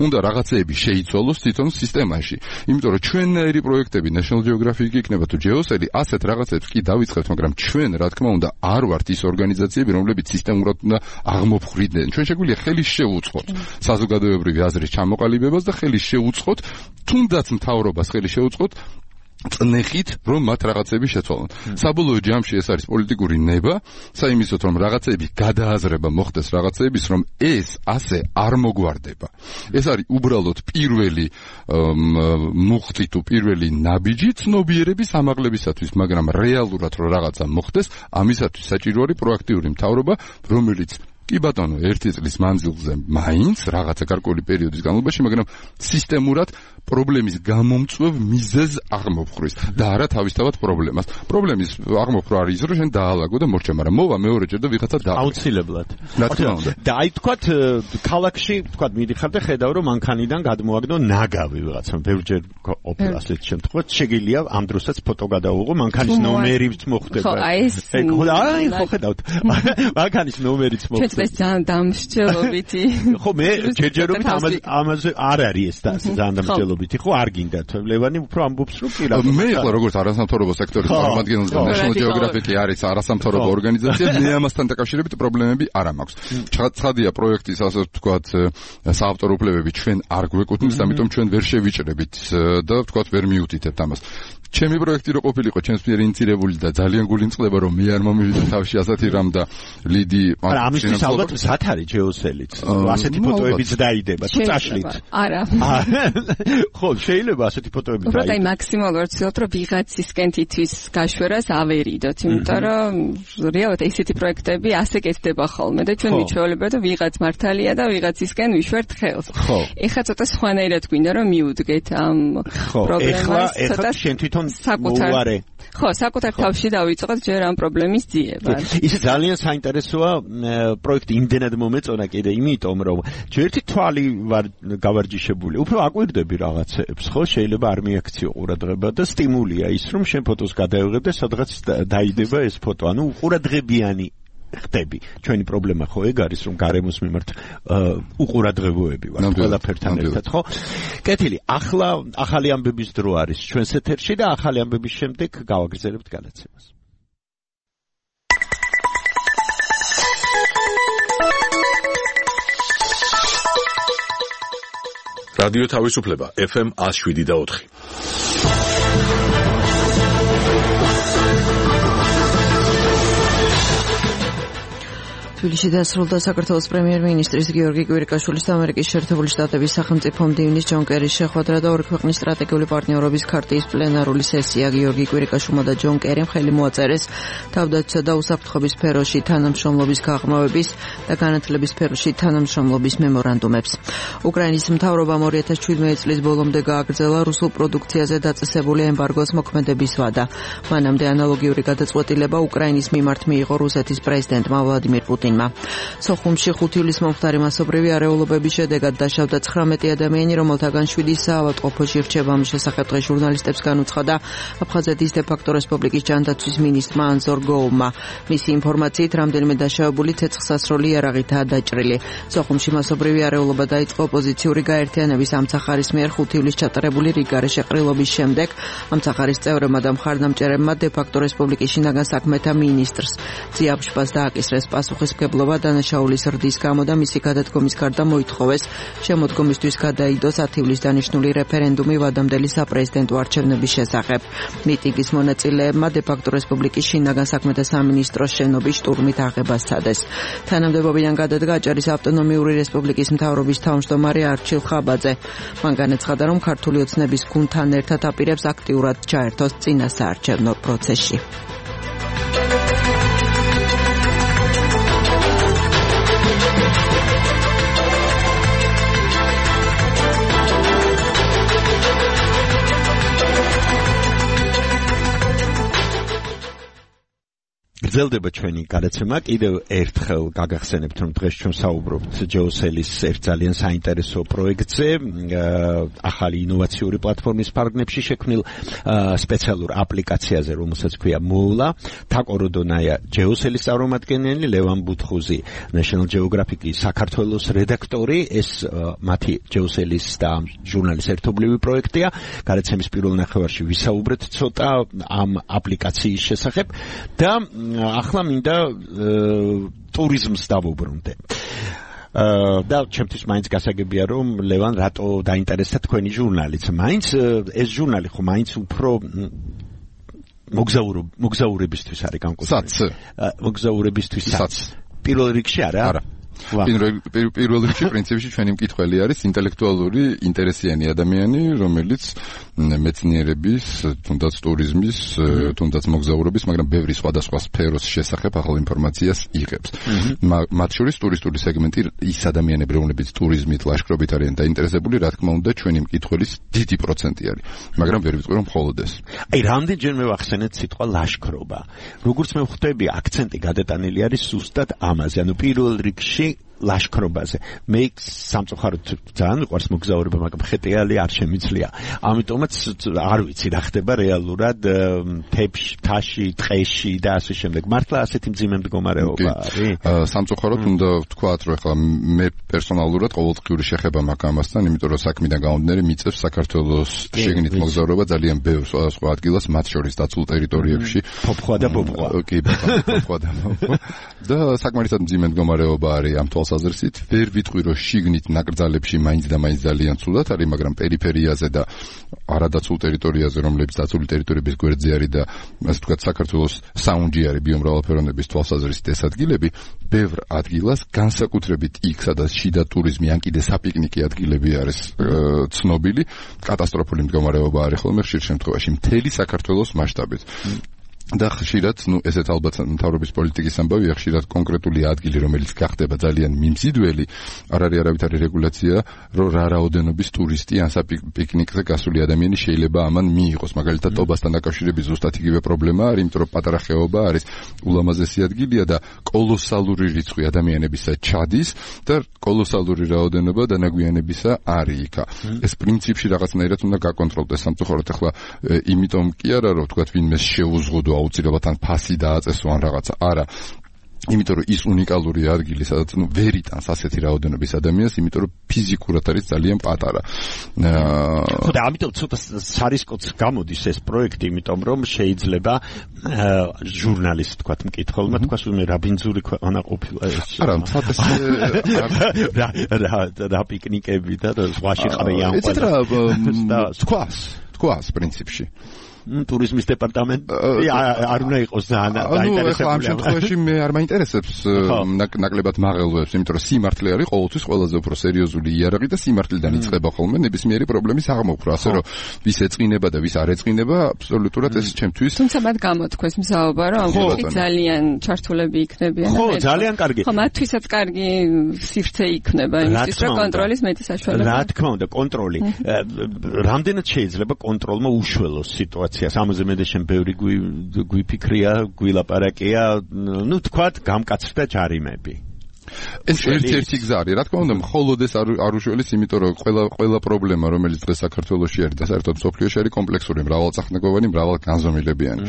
უნდა რაღაცეები შეიცვალოს თვითონ სისტემაში. იმიტომ რომ ჩვენნაირი პროექტები, National Geographic იქნება თუ Geosel-ი, ასეთ რაღაცებს კი დავიწყებთ, მაგრამ ჩვენ, რა თქმა უნდა, არ ვართ ის ორგანიზაციები, რომლებიც სისტემურად უნდა აღმოფხვრიდნენ. ჩვენ შეგვიძლია ხელი შევუწყოთ საზოგადოებრივი აზრის ჩამოყალიბებას და ხელი შევუწყოთ, თუნდაც მთავრობას ხელი შევუწყოთ წნეხით, რომ მათ რაღაცები შეცვალონ. საბოლოო ჯამში ეს არის პოლიტიკური ნება, საიმისოთ რომ რაღაცები გადააზრება მოხდეს რაღაცების, რომ ეს ასე არ მოგვარდება. ეს არის უბრალოდ პირველი მუხტი თუ პირველი ნაბიჯი ცნობიერების ამაღლებისათვის, მაგრამ რეალურად რომ რაღაცა მოხდეს, ამისათვის საჭირო არის პროაქტიული მთავრობა, რომელიც კი ბატონო, ერთი წლის მანძილზე მაინც რაღაცა გარკვეული პერიოდის განმავლობაში, მაგრამ სისტემურად პრობლემის გამომწვევ მიზეზს აღმოფხრის და არა თავისთავად პრობლემას. პრობლემის აღმოფხვრა არის ის, რომ შენ დაალაგო და მორჩა, მაგრამ მოვა მეორეჯერ და ვიღაცა და აუცილებლად. რა თქმა უნდა. და აი თქვათ ქალაქში, თქვათ მიდიხარ და ხედავ, რომ მანქანიდან გადმოაგდო ნაგავი ვიღაცამ, ბევრჯერ ყოფილა ასეთ შემთხვევაში, შეგიძლია ამ დროსაც ფოტო გადაუღო, მანქანის ნომერიც მოხვდება. ხო, აი ეს აი ხო ხედავთ. მანქანის ნომერიც მოხვდება. ეს ძალიან დამსჯელობითი. ხო, მე ჯერჯერობით ამაზე ამაზე არ არის ეს და ძალიან დამსჯელობითი, ხო, არ გინდათ. ლევანი უფრო ამბობს, რომ კი რა. მე ახლა როგორც არასამთავრობო სექტორის წარმომადგენელი და National Geographic არის არასამთავრობო ორგანიზაცია, მე ამასთან დაკავშირებით პრობლემები არ მაქვს. ცხადია პროექტის ასე ვთქვათ საავტორო უფლებები ჩვენ არ გვეკუთვნის, ამიტომ ჩვენ ვერ შევიჭრებით და ვთქვათ ვერ მიუთითებთ ამას. ჩემი პროექტი რო ყოფილიყო, ჩემს მიერ ინიცირებული და ძალიან გულინწყდება, რომ მე არ მომივიდე თავში ასეთი რამ და ლიდი არა, ამისთვის ალბათ მზად არის Geosel-იც. ასეთი ფოტოებიც დაიდება, თუ წაშლით. არა. ხო, შეიძლება ასეთი ფოტოები დაიდება. უბრალოდ აი მაქსიმალურად ვცდილობთ, რომ ვიღაცისკენ თითის გაშვერას ავერიდოთ, იმიტომ რომ რეალურად ესეთი პროექტები ასე კეთდება ხოლმე და ჩვენ მიჩვეულებია და ვიღაც მართალია და ვიღაცისკენ ვიშვერთ ხელს. ეხლა ცოტა სხვანაირად გვინდა რომ მიუდგეთ ამ პრობლემას. ეხლა შენ თვითონ მოუვარე. ხო, საკუთარ თავში დავიწყოთ ჯერ ამ პრობლემის ძიება. ის ძალიან საინტერესოა პროექტი იმდენად მომეწონა კიდე იმიტომ, რომ ჯერთი თვალი ვარ გავარჯიშებული. უფრო აკვირდები რაღაცებს, ხო, შეიძლება არ მიაქციო ყურადღება და სტიმულია ის, რომ შენ ფოტოს გადაიღებ და სადღაც დაიდება ეს ფოტო. ანუ უყურადღებიანი ხდები. ჩვენი პრობლემა ხო ეგ არის, რომ გარემოს მიმართ უყურადღებოები ვართ ყველაფერთან ერთად, ხო? კეთილი, ახლა ახალი ამბების დრო არის ჩვენს ეთერში და ახალი ამბების შემდეგ გავაგრძელებთ განაცემას. რადიო თავისუფლება ეფ ემ one oh seven და four. თბილისში დასრულდა საქართველოს პრემიერ-მინისტრის გიორგი კვირიკაშვილის და ამერიკის შეერთებული შტატების სახელმწიფო მდივნის ჯონ კერის შეხვედრა და ორი ქვეყნის სტრატეგიული პარტნიორობის ქარტიის პლენარული სესია. გიორგი კვირიკაშვილმა და ჯონ კერიმ ხელი მოაწერეს თავდაცვისა და უსაფრთხოების სფეროში თანამშრომლობის გაღრმავების და განათლების სფეროში თანამშრომლობის მემორანდუმებს. უკრაინის მთავრობამ ორი ათას შვიდმეტი წლის ბოლომდე გააგრძელა რუსულ პროდუქციაზე დაწესებული ემბარგოს მოქმედების ვადა. მანამდე ანალოგიური გადაწყვეტილება უკრაინის მიმართ მიიღო რუსეთის პრეზიდენტმა ვლადიმირ პუტინმა. სოხუმში ხუთი ივლისის მომხდარი მასობრივი არეულობების შედეგად დაშავდა ცხრამეტი ადამიანი, რომელთაგან შვიდი საავადმყოფოში რჩება. ამ შესახებ დღეს ჟურნალისტებს განუცხადა აფხაზეთის დე-ფაქტო რესპუბლიკის ჯანდაცვის მინისტრმა ანზორ გოუმმა. მისი ინფორმაციით, რამდენიმე დაშავებული ცეცხლსასროლი იარაღითაა დაჭრილი. სოხუმში მასობრივი არეულობა დაიწყო ოპოზიციური გაერთიანების ამცახარის მიერ ხუთი ივლისს ჩატარებული რიგგარეშე ყრილობის შემდეგ. ამცახარის წევრებმა და მხარდამჭერებმა დე-ფაქტო რესპუბლიკის შინაგან საქმეთა მინისტრს ძიაბშპას დააკისრეს პასუხისმგებლობა დანაშაულის რდის გამო და მისი გადადგომის გარდა მოითხოვეს შემოდგომისთვის გადაიდოს ათი ივლისს დანიშნული რეფერენდუმი ვადამდელი საპრეზიდენტო არჩევნების შესახებ. მიტინგის მონაწილეებმა დე-ფაქტო რესპუბლიკის შინაგან საქმეთა სამინისტროს შენობის შტურმით აღება სცადეს. თანამდებობიდან გადადგა აჭარის ავტონომიური რესპუბლიკის მთავრობის თავმჯდომარე არჩილ ხაბაძე. მან განაცხადა, რომ ქართული ოცნების გუნდთან ერთად აპირებს აქტიურად ჩაერთოს წინასაარჩევნო პროცესში. გრძელდება ჩვენი გადაცემა. კიდევ ერთხელ გაგახსენებთ, რომ დღეს ჩვენ საუბრობთ ჯეოსელის ერთ ძალიან საინტერესო პროექტზე, ახალი ინოვაციური პლატფორმის ფარგლებში შექმნილ სპეციალურ აპლიკაციაზე, რომელსაც ქვია მოვლა. თაკო როდონაია ჯეოსელის წარმომადგენელი, ლევან ბუთხუზი National Geographic-ის საქართველოს რედაქტორი. ეს მათი ჯეოსელის და ჟურნალის ერთობლივი პროექტია. გადაცემის პირველ ნახევარში ვისაუბრეთ ცოტა ამ აპლიკაციის შესახებ და ახლა მინდა ტურიზმს დავუბრუნდე. და ჩემთვის მაინც გასაგებია, რომ ლევან რატო დაინტერესდა თქვენი ჟურნალიც. მაინც ეს ჟურნალი ხო მაინც უფრო მოგზაურებისთვის არის განკუთვნილი. მოგზაურებისთვისაც. პირველ რიგში არა? არა. პირველ რიგში პრინციპში ჩვენი მკითხველი არის ინტელექტუალური ინტერესიანი ადამიანი, რომელიც მეცნიერების, თუნდაც ტურიზმის, თუნდაც მოგზაურობის, მაგრამ ბევრი სხვადასხვა სფეროს შესახებ ახალ ინფორმაციას იღებს. მათ შორის ტურისტული სეგმენტი ის ადამიანები, რომლებიც ტურიზმით, ლაშქრობით არიან დაინტერესებული, რა თქმა უნდა, ჩვენი მკითხველის დიდი პროცენტი არის. მაგრამ ვერ ვიტყვი, რომ მხოლოდ ეს. აი, რამდენჯერმე ვახსენეთ სიტყვა ლაშქრობა. როგორც მე ვხვდები, აქცენტი გადატანილი არის ზუსტად ამაზე. ანუ პირველ რიგში ლაშქრობაზე. მე სამწუხაროდ ძალიან მიყვარს მოგზაურობა, მაგრამ ხეტიალი არ შემიძლია. ამიტომაც არ ვიცი რა ხდება რეალურად თებში, თაში, ტყეში და ასე შემდეგ. მართლა ასეთი მძიმე მდგომარეობა არის? სამწუხაროდ უნდა ვთქვათ, რომ ახლა მე პერსონალურად ყოველდღიური შეხება მაქვს ამასთან, იმიტომ რომ საქმიდან გამომდინარე მიწევს საქართველოს შეგნით მოგზაურობა ძალიან ბევრ სხვადასხვა ადგილას, მათ შორის დაცულ ტერიტორიებში. ფოფხვა და ფოფხვა. კი, ფოფხვა და ფოფხვა. და საკმარისად მძიმე მდგომარეობა არის ამ თვალსაზრისით. ვერ ვიტყვი, რომ შიგნით ნაკრძალებში მაინც და მაინც ძალიან ცუდად არის, მაგრამ პერიფერიაზე და არადაცულ ტერიტორიაზე, რომლებიც დაცული ტერიტორიების გვერდზე არის და ასე ვთქვათ, საქართველოს საუნჯი არის ბიომრავალფეროვნების თვალსაზრისით ეს ადგილები, ბევრ ადგილას, განსაკუთრებით იქ, სადაც შიდა ტურიზმი ან კიდე საპიკნიკი ადგილები არის ცნობილი, კატასტროფული მდგომარეობა არის ხოლმე ხშირ შემთხვევაში მთელი საქართველოს მასშტაბით. და ხშირად, ну, ესეც ალბათ მთავრობის პოლიტიკის ამბავია, ხშირად კონკრეტული ადგილი, რომელიც გახდება ძალიან მიმზიდველი, არ არის არავითარი რეგულაცია, რომ რა რაოდენობის ტურისტი ან საპიკნიკზე გასული ადამიანი შეიძლება ამან მიიღოს. მაგალითად, ტობასთან დაკავშირებით ზუსტად იგივე პრობლემა არის, იმიტომ რომ პატარა ხეობა არის ულამაზესი ადგილია და კოლოსალური რიცხვი ადამიანებისა ჩადის და კოლოსალური რაოდენობა დანაგვიანებისა არის იქა. ეს პრინციპში რაღაცნაირად უნდა გაკონტროლდეს. სამწუხაროდ ახლა იმიტომ კი არა, რომ თქვათ ვინმეს შეუზღუდო აუცილებლად ან ფასი დააწესო ან რაღაცა. არა. იმიტომ რომ ის უნიკალური ადგილი, სადაც ნუ ვერ იტანს ასეთი რაოდენობის ადამიანს, იმიტომ რომ ფიზიკურად არის ძალიან პატარა. ხო და ამიტომ ცოტა სარისკოც გამოდის ეს პროექტი, იმიტომ რომ შეიძლება ჟურნალისტ თქვათ მკითხველმა თქვას უნდა რა ბინძური ქვეყანა ყოფილა ეს. არა, თათეს რა რა პიკნიკები და ზღვაში ყრიან. ეცეთ რა თქვას, თქვას პრინციპში. ტურიზმის დეპარტამენტი არ უნდა იყოს ძალიან დაინტერესებული. ამ შემთხვევაში მე არ მაინტერესებს ნაკლებად მაღელვებს, იმიტომ რომ სიმართლე არის ყოველთვის ყველაზე უფრო სერიოზული იარაღი და სიმართლიდან იწყება ხოლმე ნებისმიერი პრობლემის აღმოფხვრა, ასე რომ ვის ეწყინება და ვის არ ეწყინება, აბსოლუტურად ეს ჩემთვის. თუმცა მათ გამოთქვეს მზაობა, რომ ამ კუთხით ძალიან ჩართულები იქნებიან. ხო, ძალიან კარგი. ხო, მათთვისაც კარგი სივრცე იქნება იმისთვის, რომ კონტროლის მეტი საშუალება. რა თქმა უნდა, კონტროლი. რამდენად შეიძლება კონტროლმა უშველოს სიტუაციას? ამაზე მე და შენ ბევრი გვიფიქრია, გვილაპარაკია, ну, თქვათ, გამკაცრდა ჯარიმები. ეს ერთ-ერთი გზა არის, რა თქმა უნდა, მხოლოდ ეს არ უშველის, იმიტომ რომ ყველა ყველა პრობლემა, რომელიც დღეს საქართველოში არის და საერთოდ მსოფლიოში არის კომპლექსური, მრავალწახნაგოვანი, მრავალგანზომილებიანი.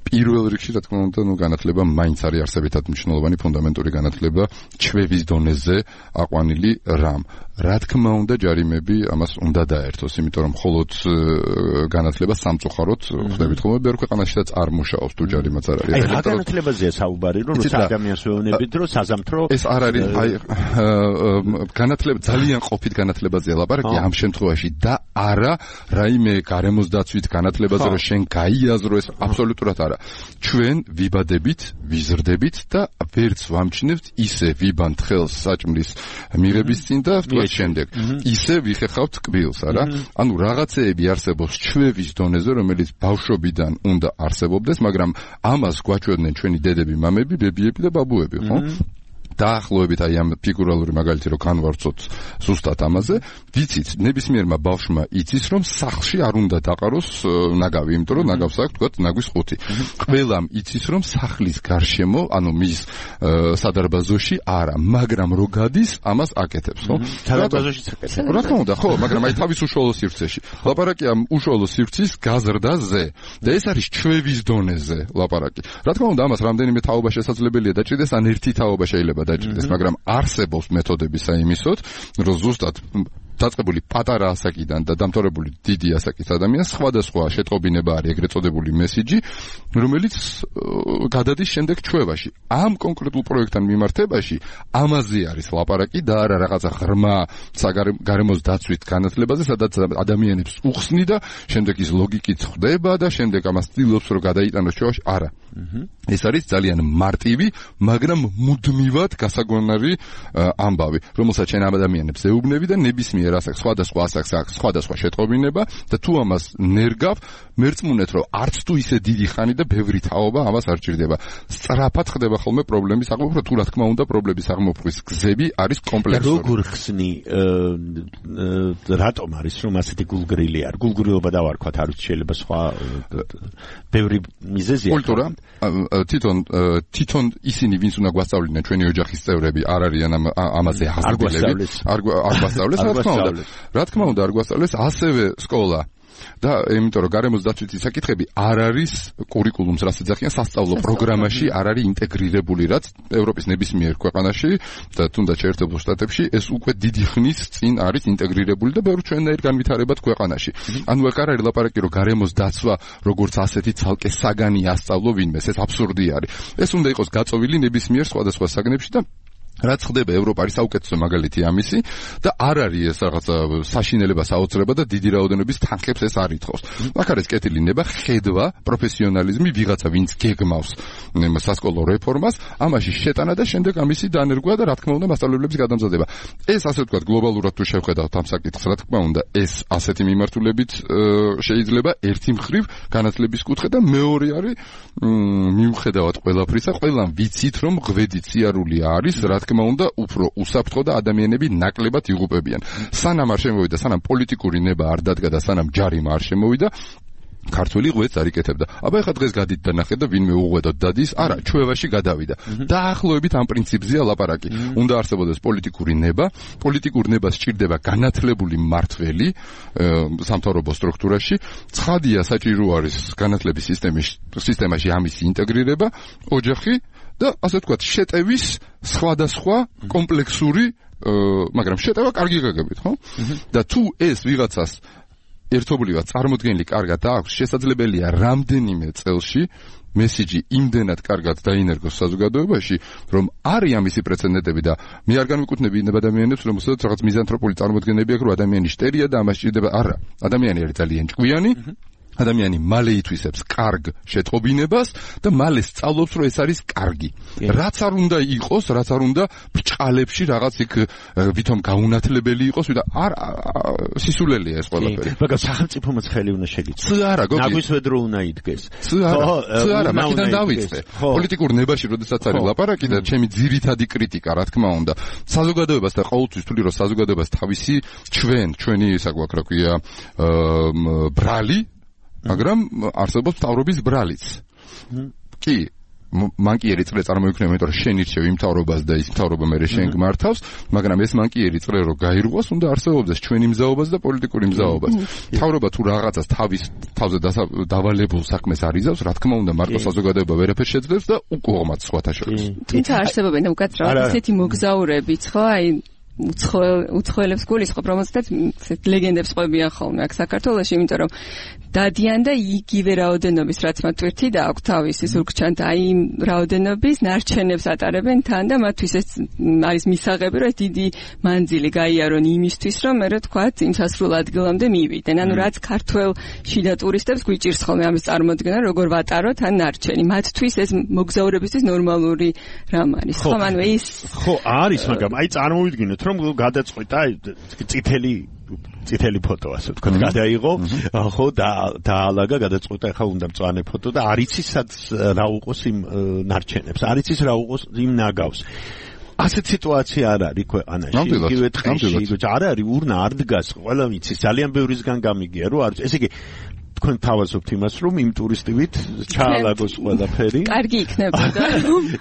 პირველ რიგში, რა თქმა უნდა, ნუ განათლება მაინც არის არსებითად მნიშვნელოვანი ფუნდამენტური განათლება ჩვევის დონეზე აყვანილი რამ. რა თქმა უნდა, ჯარიმები ამას უნდა დაერთოს, იმიტომ რომ მხოლოდ განათლება სამწუხაროდ ხდებით ხოლმე ბევრ ქვეყანაშიც არ მუშაობს თუ ჯარიმაც არ არის. აი, რა განათლებაზეა საუბარი, რომ ადამიანს ვეუბნებით, რომ საზამთრო ეს არ არის, აი, განათლება ძალიან ყოფით განათლებაზეა ლაპარაკი ამ შემთხვევაში და არა რაიმე გარემოს დაცვით განათლებაზე, რომ შენ გაიაზრო, ეს აბსოლუტურად არა. ჩვენ ვიბადებით, ვიზრდებით და ვერც ვამჩნევთ ისე ვიბანთ ხელს საჭმლის მიღების წინ და შემდეგ ისე ვიხეხავთ კბილს, არა? ანუ რაღაცეები არსებობს ჩვევის დონეზე, რომელიც ბავშვობიდან უნდა არსებობდეს, მაგრამ ამას გვაჩვენდნენ ჩვენი დედები, მამები, ბებიები და ბაბუები, ხო? დაახლოებით აი ამ ფიგურალური მაგალითი რომ განვარცოთ ზუსტად ამაზე, ვიცით, ნებისმიერმა ბავშვმა იცის, რომ სახლში არ უნდა დაყაროს ნაგავი, იმიტომ რომ ნაგავს აქვს თქვათ ნაგვის ხუთი. ყველამ იცის, რომ სახლის გარშემო, ანუ მის სადარბაზოში არა, მაგრამ რო გადის, ამას აკეთებს, ხო? სადარბაზოშიც აკეთებს. რა თქმა უნდა, ხო, მაგრამ აი თავის უშუალო სივრცეში. ლაპარაკი ამ უშუალო სივრცის გაზრდაზე და ეს არის ჩვევის დონეზე ლაპარაკი. რა თქმა უნდა, ამას რამდენიმე თაობა შესაძლებელია დაჭრიდეს, ან ერთი თაობა შეიძლება დაჭრიდეს, მაგრამ არსებობს მეთოდები საიმისოდ, რომ ზუსტად დაწყებული პატარა ასაკიდან და დამთავრებული დიდი ასაკის ადამიანს სხვადასხვა შეტყობინება არის, ეგრეთ წოდებული მესიჯი, რომელიც გადადის შემდეგ ჩვევაში. ამ კონკრეტულ პროექტთან მიმართებაში ამაზე არის ლაპარაკი და არა რაღაცა ღრმა გარემოს დაცვით განათლებაზე, სადაც ადამიანებს უხსნი და შემდეგ ის ლოგიკით ხვდება და შემდეგ ამას ცდილობს რომ გადაიტანოს ჩვევაში. არა. ეს არის ძალიან მარტივი, მაგრამ მუდმივად გასაგონარი ამბავი, რომელსაც შენ ამ ადამიანებს ეუბნები და ნებისმიერ ასაკს, სხვადასხვა ასაკს აქვს სხვადასხვა შეტყობინება და თუ ამას ნერგავ, მერწმუნეთ რომ არც თუ ისე დიდი ხანი და ბევრი თაობა ამას არ ჭირდება. სწრაფად ხდება ხოლმე პრობლემის აღმოფხვრა, თუ რა თქმა უნდა პრობლემის აღმოფხვის გზები არის კომპლექსური. როგორ ხსნი, რატომ არის რომ ასეთი გულგრილი არ? გულგრილობა დავარქვათ, არ ვიცი, შეიძლება სხვა ბევრი მიზეზია. კულტურა თვითონ თვითონ ისინი ვინც უნდა გვასწავლიდნენ, ჩვენი ოჯახის წევრები არ არიან ამაზე ახასიათებელი. არ გვასწავლეს, რა თქმა უნდა. რა თქმა უნდა, არ გვასწავლეს ასევე სკოლა. და იმიტომ რომ გარემოს დაცვითი საკითხები არ არის კურიკულუმს რაც ეძახიან სასწავლო პროგრამაში არ არის ინტეგრირებული, რაც ევროპის ნებისმიერ ქვეყანაში და თუნდაც შეერთებულ შტატებში ეს უკვე დიდი ხნის წინ არის ინტეგრირებული და ბევრ ჩვენნაირ განვითარებად ქვეყანაში. ანუ აქ არ არის ლაპარაკი რომ გარემოს დაცვა როგორც ასეთი ცალკე საგანი ასწავლო ვინმეს, ეს აბსურდი არის. ეს უნდა იყოს გაწოვილი ნებისმიერ სხვადასხვა საგნებში და რაც ხდება ევროპა არის საუკეთესო მაგალითი ამისი და არ არის ეს რაღაცა საშინელება საოცრება და დიდი რაოდენობის თანხებს ეს არ ითხოვს. აქ არის კეთილი ნება, ხედვა, პროფესიონალიზმი, ვიღაცა ვინც გეგმავს სასკოლო რეფორმას, ამაში შეტანა და შემდეგ ამისი დანერგვა და რა თქმა უნდა მასწავლებლების გადამზადება. ეს ასე ვთქვათ გლობალურად თუ შევხედავთ ამ საკითხს, რა თქმა უნდა ეს ასეთი მიმართულებით შეიძლება ერთი მხრივ განათლების კუთხე და მეორე არის მიუხედავად ყველაფრისა, ყველამ ვიცით რომ ღვედი სიარული არის, რა თქმა უნდა უფრო უსაფრთხო და ადამიანები ნაკლებად იღუპებიან. სანამ არ შემოვიდა, სანამ პოლიტიკური ნება არ დადგა და სანამ ჯარიმა არ შემოვიდა, ქართული ღვედს არ იკეთებდა. აბა ეხლა დღეს გადით და ნახეთ და ვინმე უღვედოდ დადის, არა, ჩვევაში გადავიდა. დაახლოებით ამ პრინციპზეა ლაპარაკი. უნდა არსებობდეს პოლიტიკური ნება, პოლიტიკურ ნებას სჭირდება განათლებული მმართველი სამთავრობო სტრუქტურაში. ცხადია საჭირო არის განათლების სისტემის სისტემაში ამის ინტეგრირება, ოჯახი და ასე ვთქვათ შეტევის სხვადასხვა კომპლექსური, მაგრამ შეტევა კარგი გაგებით, ხო? და თუ ეს ვიღაცას ერთობლივად წარმოდგენილი კარგად აქვს, შესაძლებელია რამდენიმე წელში მესიჯი იმდენად კარგად დაინერგოს საზოგადოებაში, რომ არის ამისი პრეცედენტები და მე არ განვიკუთვნები ადამიანებს, რომელსაც რაღაც მიზანთროპული წარმოდგენები აქვს, რომ ადამიანი შტერია და ამას სჭირდება. არა, ადამიანი არის ძალიან ჭკვიანი. ადამიანი მალე ითვისებს კარგ შეტყობინებას და მალე სწავლობს, რომ ეს არის კარგი. რაც არ უნდა იყოს, რაც არ უნდა ბრჭყალებში რაღაც იქ ვითომ გაუნათლებელი იყოს, ვიდა არ სისულელია ეს ყველაფერი. მაგრამ სახელმწიფომაც ხელი უნდა შეგიწევს. ც არა, გოგი. ნაგვისვედრო უნდა იდგეს. ც არა, ც არა, მაგიდან დავიწყე. პოლიტიკურ ნებაში როდესაც არის ლაპარაკი და ჩემი ძირითადი კრიტიკა, რა თქმა უნდა, საზოგადოებას და ყოველთვის ვთვლი, რომ საზოგადოებას თავისი ჩვენ, ჩვენი ისა გვაქვს, რა ქვია, ბრალი მაგრამ არსებობს მთავრობის ბრალიც. კი, მანკიერი წრე წარმოიქმნება, იმიტომ რომ შენ ირჩევ იმ მთავრობას და ის მთავრობა მერე შენ გმართავს, მაგრამ ეს მანკიერი წრე რო გაირღვას, უნდა არსებობდეს ჩვენი მზაობას და პოლიტიკური მზაობას. მთავრობა თუ რაღაცას თავის თავზე დავალებულ საქმეს არიზავს, რა თქმა უნდა, მარტო საზოგადოება ვერაფერს შეძლებს და უკუღმათ სხვათა შორის. თუმცა არსებობენ უკაცრავად ისეთი მოგზაურებიც, ხო, აი უცხოელებს გულისხმობ, რომელსაც ლეგენდებს ყვებიან ხოლმე აქ საქართველოში, იმიტომ რომ დადიან და იგივე რაოდენობის, რაც მათ თვირთი და აქვს თავისი ზურგჩანთა, აი იმ რაოდენობის ნარჩენებს ატარებენ თან და მათთვის ეს არის მისაღები, რომ ეს დიდი მანძილი გაიარონ იმისთვის, რომ მე რა თქვათ, იმ სასრულ ადგილამდე მივიდნენ. ანუ რაც ქართველ შიდა ტურისტებს გვიჭირს ხოლმე ამის წარმოდგენა, როგორ ვატაროთ ან ნარჩენი. მათთვის ეს მოგზაურებისთვის ნორმალური რამ არის. ხო, ანუ ეს ხო არის, მაგრამ აი წარმოვიდგინოთ, რომ გადაწყვეტა წითელი წითელი ფოტო ასე ვთქვათ, გადაიღო, ხო და დაალაგა, გადაწყვეტა, ხა უნდა მწვანე ფოტო და არ იცის სად რა უყოს იმ ნარჩენებს, არ იცის რა უყოს იმ ნაგავს. ასეთ სიტუაცია არ არის ქვეყანაში, იგივე დღეში, არ არის урна არ დგას, ყველა ვიცის, ძალიან ბევრისგან გამიგია, რომ არის, ესე იგი თქვენ თავაზობთ იმას, რომ იმ ტურისტივით ჩაალაგოს ყველაფერი. კარგი იქნებოდა.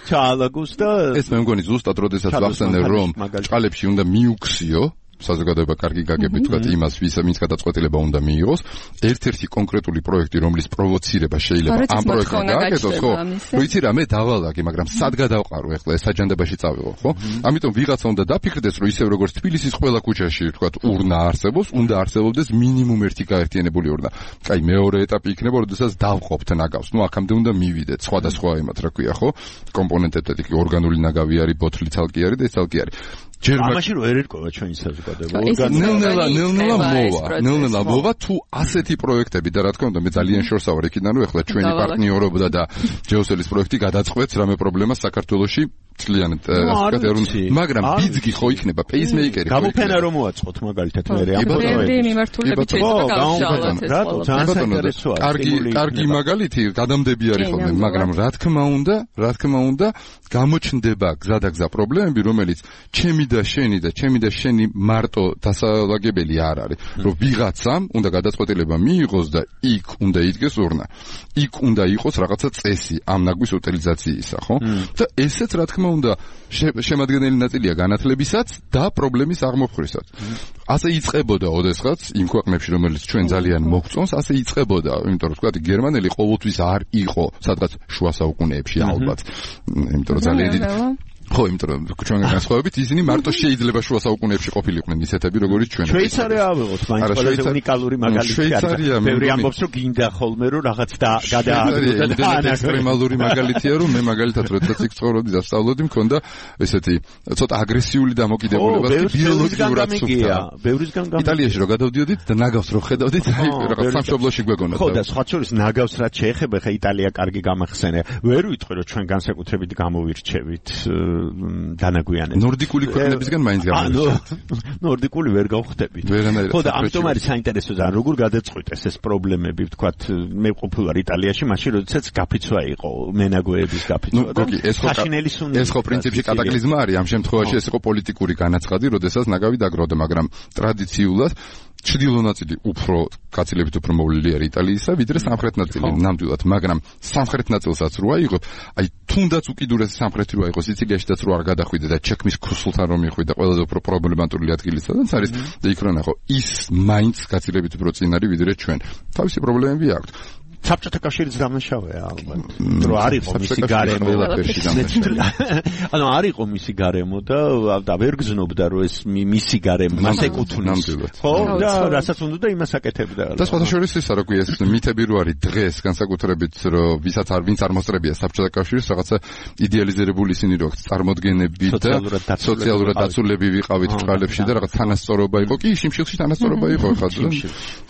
ჩაალაგოს და ეს მე მგონი ზუსტად როდესაც ვახსენე, რომ ჭყალებში უნდა მიუქციო საზოგადოება კარგი გაგებით თქვათ იმას, ვის ვინც გადაწყვეტილება უნდა მიიღოს. ერთ-ერთი კონკრეტული პროექტი, რომლის პროვოცირება შეიძლება ამ პროექტთან გააკეთოს, ხო? რო იცი რა, მე დავალაგე, მაგრამ სად გადავყარო ახლა ეს საჯანდებაში წავიღო, ხო? ამიტომ ვიღაცა უნდა დაფიქრდეს, რომ ისევ როგორც თბილისის ყველა ქუჩაში თქვათ урна არსებობს, უნდა არსებობდეს მინიმუმ ერთი გაერთიანებული урна. კაი, მეორე ეტაპი იქნება, როდესაც დავყოფთ ნაგავს. ნუ აქამდე უნდა მივიდეთ, სხვადასხვა იმათ, რა ქვია, ხო? კომპონენტებად იქ ორგანული ნაგავი არის, ბოთლი ცალკე არის და ეს ცალკე არის. ამაში რო არ ერკვევა ჩვენი საზოგადოება. ნელ-ნელა, ნელ-ნელა მოვა, ნელ-ნელა მოვა თუ ასეთი პროექტები და რა თქმა უნდა მე ძალიან შორსა ვარ იქიდან, რომ ეხლა ჩვენი პარტნიორობა და ჯეოსელის პროექტი გადაწყვეტს რამე პრობლემას საქართველოში ძალიან მაგრამ ბიძგი ხო იქნება პეისმეიკერი ხო გამოფენა რომ მოაწყოთ მაგალითად მე ამ პროექტი მიმართულებით შეიძლება გავშალოთ ეს რატო ძალიან საინტერესოა კარგი კარგი მაგალითი გადამდები არის ხოლმე მაგრამ რა თქმა უნდა რა თქმა უნდა გამოჩნდება გზა და გზა პრობლემები რომელიც ჩემი და შენი და ჩემი და შენი მარტო დასალაგებელი არ არის რომ ვიღაცამ უნდა გადაწყვეტილება მიიღოს და იქ უნდა იდგეს урна იქ უნდა იყოს რაღაცა წესი ამ ნაგვის უტილიზაციისა ხო და ესეც რა თქმა უნდა შემადგენელი ნაწილია განათლებისაც და პრობლემის აღმოფხვრისაც. ასე იწყებოდა ოდესღაც იმ ქვეყნებში რომელიც ჩვენ ძალიან მოგწონს, ასე იწყებოდა, იმიტომ რომ თქვათ გერმანელი ყოველთვის არ იყო სადღაც შუა საუკუნეებში ალბათ. იმიტომ რომ ძალიან დიდი ხო, იმიტომ რომ ჩვენგან განსხვავებით ისინი მარტო შეიძლება შუა საუკუნეებში ყოფილიყვნენ ისეთები როგორიც ჩვენ. შვეიცარია ავიღოთ, მაინც ყველაზე უნიკალური მაგალითი არის. ბევრი ამბობს რომ გინდა ხოლმე რომ რაღაც და გადააგდო და ექსტრემალური მაგალითია რომ მე მაგალითად როდესაც იქ ცხოვრობდი და სწავლობდი მქონდა ესეთი ცოტა აგრესიული დამოკიდებულება ბიოლოგიურად სუფთა. ბევრისგან გამიგია. იტალიაში რო გადავდიოდით და ნაგავს რო ხედავდით, აი რაღაც სამშობლოში გვეგონათ. ხო და სხვა შორის ნაგავს რაც შეეხება, ხა იტალია კარგი გამახსენე. ვერ ვიტყვი რომ ჩვენ განსაკუთრებით გამოვირჩევით დანაგვიანებს. ნორდიკული ქვეყნებისგან მაინც გამოვირჩევთ. ნორდიკული ვერ გავხდებით. ხო და ამიტომ არის საინტერესო და როგორ გადაწყვეტეს ეს პრობლემები, ვთქვათ, მე ყოფილვარ იტალიაში, მაშინ როდესაც გაფიცვა იყო მენაგვეების გაფიცვა. ნუ გოგი, ეს ხო ეს ხო პრინციპში კატაკლიზმა არის, ამ შემთხვევაში ეს იყო პოლიტიკური განაცხადი, როდესაც ნაგავი დაგროვდა, მაგრამ ტრადიციულად ჩრდილო ნაწილი უფრო გაცილებით უფრო მოვლილი არის იტალიისა, ვიდრე სამხრეთ ნაწილი ნამდვილად, მაგრამ სამხრეთ ნაწილსაც რო აიღო, აი თუნდაც უკიდურესი სამხრეთი რო აიღო, სიცილიაშიც რო არ გადახვიდე და ჩექმის ქუსლთან რომ მიხვიდე, ყველაზე უფრო პრობლემატური ადგილი სადაც არის და იქ რო ნახო, ის მაინც გაცილებით უფრო წინ არის ვიდრე ჩვენ. თავისი პრობლემები აქვს. საბჭოთა კავშირიც დამნაშავეა ალბათ. რომ არ იყო მისი გარემო. ანუ არ იყო მისი გარემო და და ვერ გზნობდა რომ ეს მისი გარემო მას ეკუთვნის. ხო, და რასაც უნდა იმას აკეთებდა. და სხვადასხვა ისა რა ქვია ეს მითები რო არის დღეს განსაკუთრებით რომ ვისაც არ ვინც არ მოსწრებია საბჭოთა კავშირის რაღაცა იდეალიზირებული ისინი რო წარმოდგენები და სოციალურად დაცულები ვიყავით ბრალებში და რაღაც თანასწორობა იყო. კი, შიმშილში თანასწორობა იყო ხა.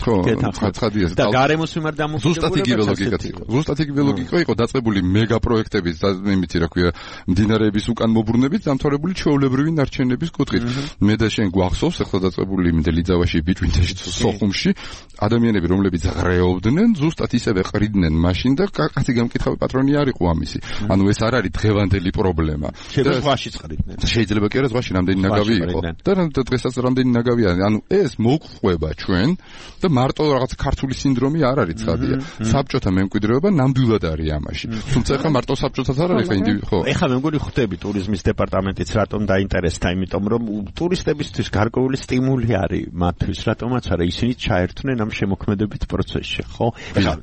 ხო, ხაცხადია. და გარემოს მიმართ დამოკიდებულება. ზუსტად იგივე ლოგიკაც იყო. ზუსტად იგივე ლოგიკა იყო დაწყებული მეგა პროექტების და იმითი რა ქვია მდინარეების უკან მობრუნებით დამთავრებული ჩვეულებრივი ნარჩენების კუთხით. მე და შენ გვახსოვს ახლა დაწყებული მდელიძავაში ბიჭვინთაში სოხუმში ადამიანები რომლებიც ღრეობდნენ ზუსტად ისევე ყრიდნენ მაშინ და კაცი გამკითხავი პატრონი არ იყო ამისი. ანუ ეს არ არის დღევანდელი პრობლემა. შეიძლება ზღვაშიც ყრიდნენ. შეიძლება კი არა ზღვაში რამდენი ნაგავი იყო. და დღესაც რამდენი ნაგავია. ანუ ეს მოგყვება ჩვენ და მარტო რაღაც ქართული სინდრომი არ არის ცხადია. საბჭოთა მემკვიდრეობა ნამდვილად არის ამაში. თუმცა ეხლა მარტო საბჭოთაც არ არის ხა ინდივიდი ხო. ეხლა მე მგონი ხვდები ტურიზმის დეპარტამენტიც რატომ დაინტერესდა, იმიტომ რომ ტურისტებისთვის გარკვეული სტიმული არის მათთვის, რატომაც არა ისინი ჩაერთვნენ ამ შემოქმედებით პროცესში, ხო? ეხლა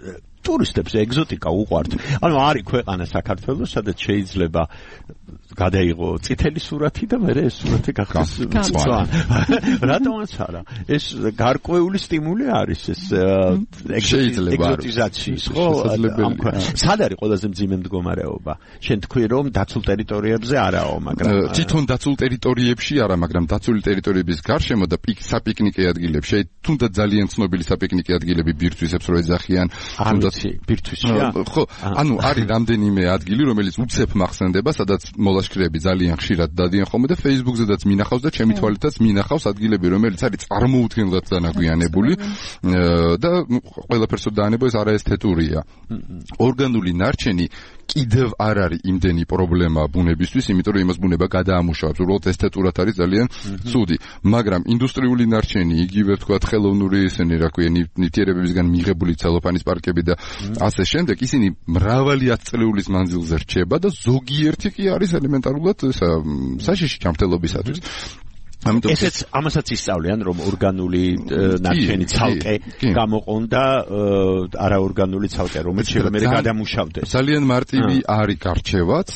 ტურისტებს ეგზოტიკა უყვართ. ანუ არის ქვეყანა საქართველოს, სადაც შეიძლება გადაიღო წითელი სურათი და მერე ეს სურათი გახდეს მწვანე. რატომაც არა? ეს გარკვეული სტიმული არის ეს ეგზოტიზაციის, ხო? სად არის ყველაზე მძიმე მდგომარეობა? შენ თქვი რომ დაცულ ტერიტორიებზე არაო, მაგრამ თვითონ დაცულ ტერიტორიებში არა, მაგრამ დაცული ტერიტორიების გარშემო და საპიკნიკე ადგილებში, თუნდაც ძალიან ცნობილი საპიკნიკე ადგილები ბირთვისებს რო ეძახიან, თუნდაც ბირთვისია. ხო, ანუ არის რამდენიმე ადგილი, რომელიც უცებ მახსენდება, სადაც მოლაშქრეები ძალიან ხშირად დადიან ხოლმე და Facebook-ზედაც მინახავს და ჩემი თვალითაც მინახავს ადგილები, რომელიც არის წარმოუდგენლად დანაგვიანებული და ყველაფერს დაანება ეს არაესთეტურია. ორგანული ნარჩენი კიდევ არ არის იმდენი პრობლემა ბუნებისთვის, იმიტომ რომ იმას ბუნება გადაამუშავებს, უბრალოდ ესთეტურად არის ძალიან ცუდი, მაგრამ ინდუსტრიული ნარჩენი, იგივე ვთქვათ ხელოვნური ისინი, რა ქვია, ნივთიერებებისგან მიღებული ცელოფანის პარკები და ასე შემდეგ, ისინი მრავალი ათწლეულის მანძილზე რჩება და ზოგიერთი კი არის ელემენტარულად საშიში ჯანმრთელობისათვის. ესეც ამასაც ისწავლიან რომ ორგანული ნარჩენი ცალკე გამოყონდა არაორგანული ცალკე რომელიც შეიძლება გადამუშავდეს. ძალიან მარტივი არის გარჩევაც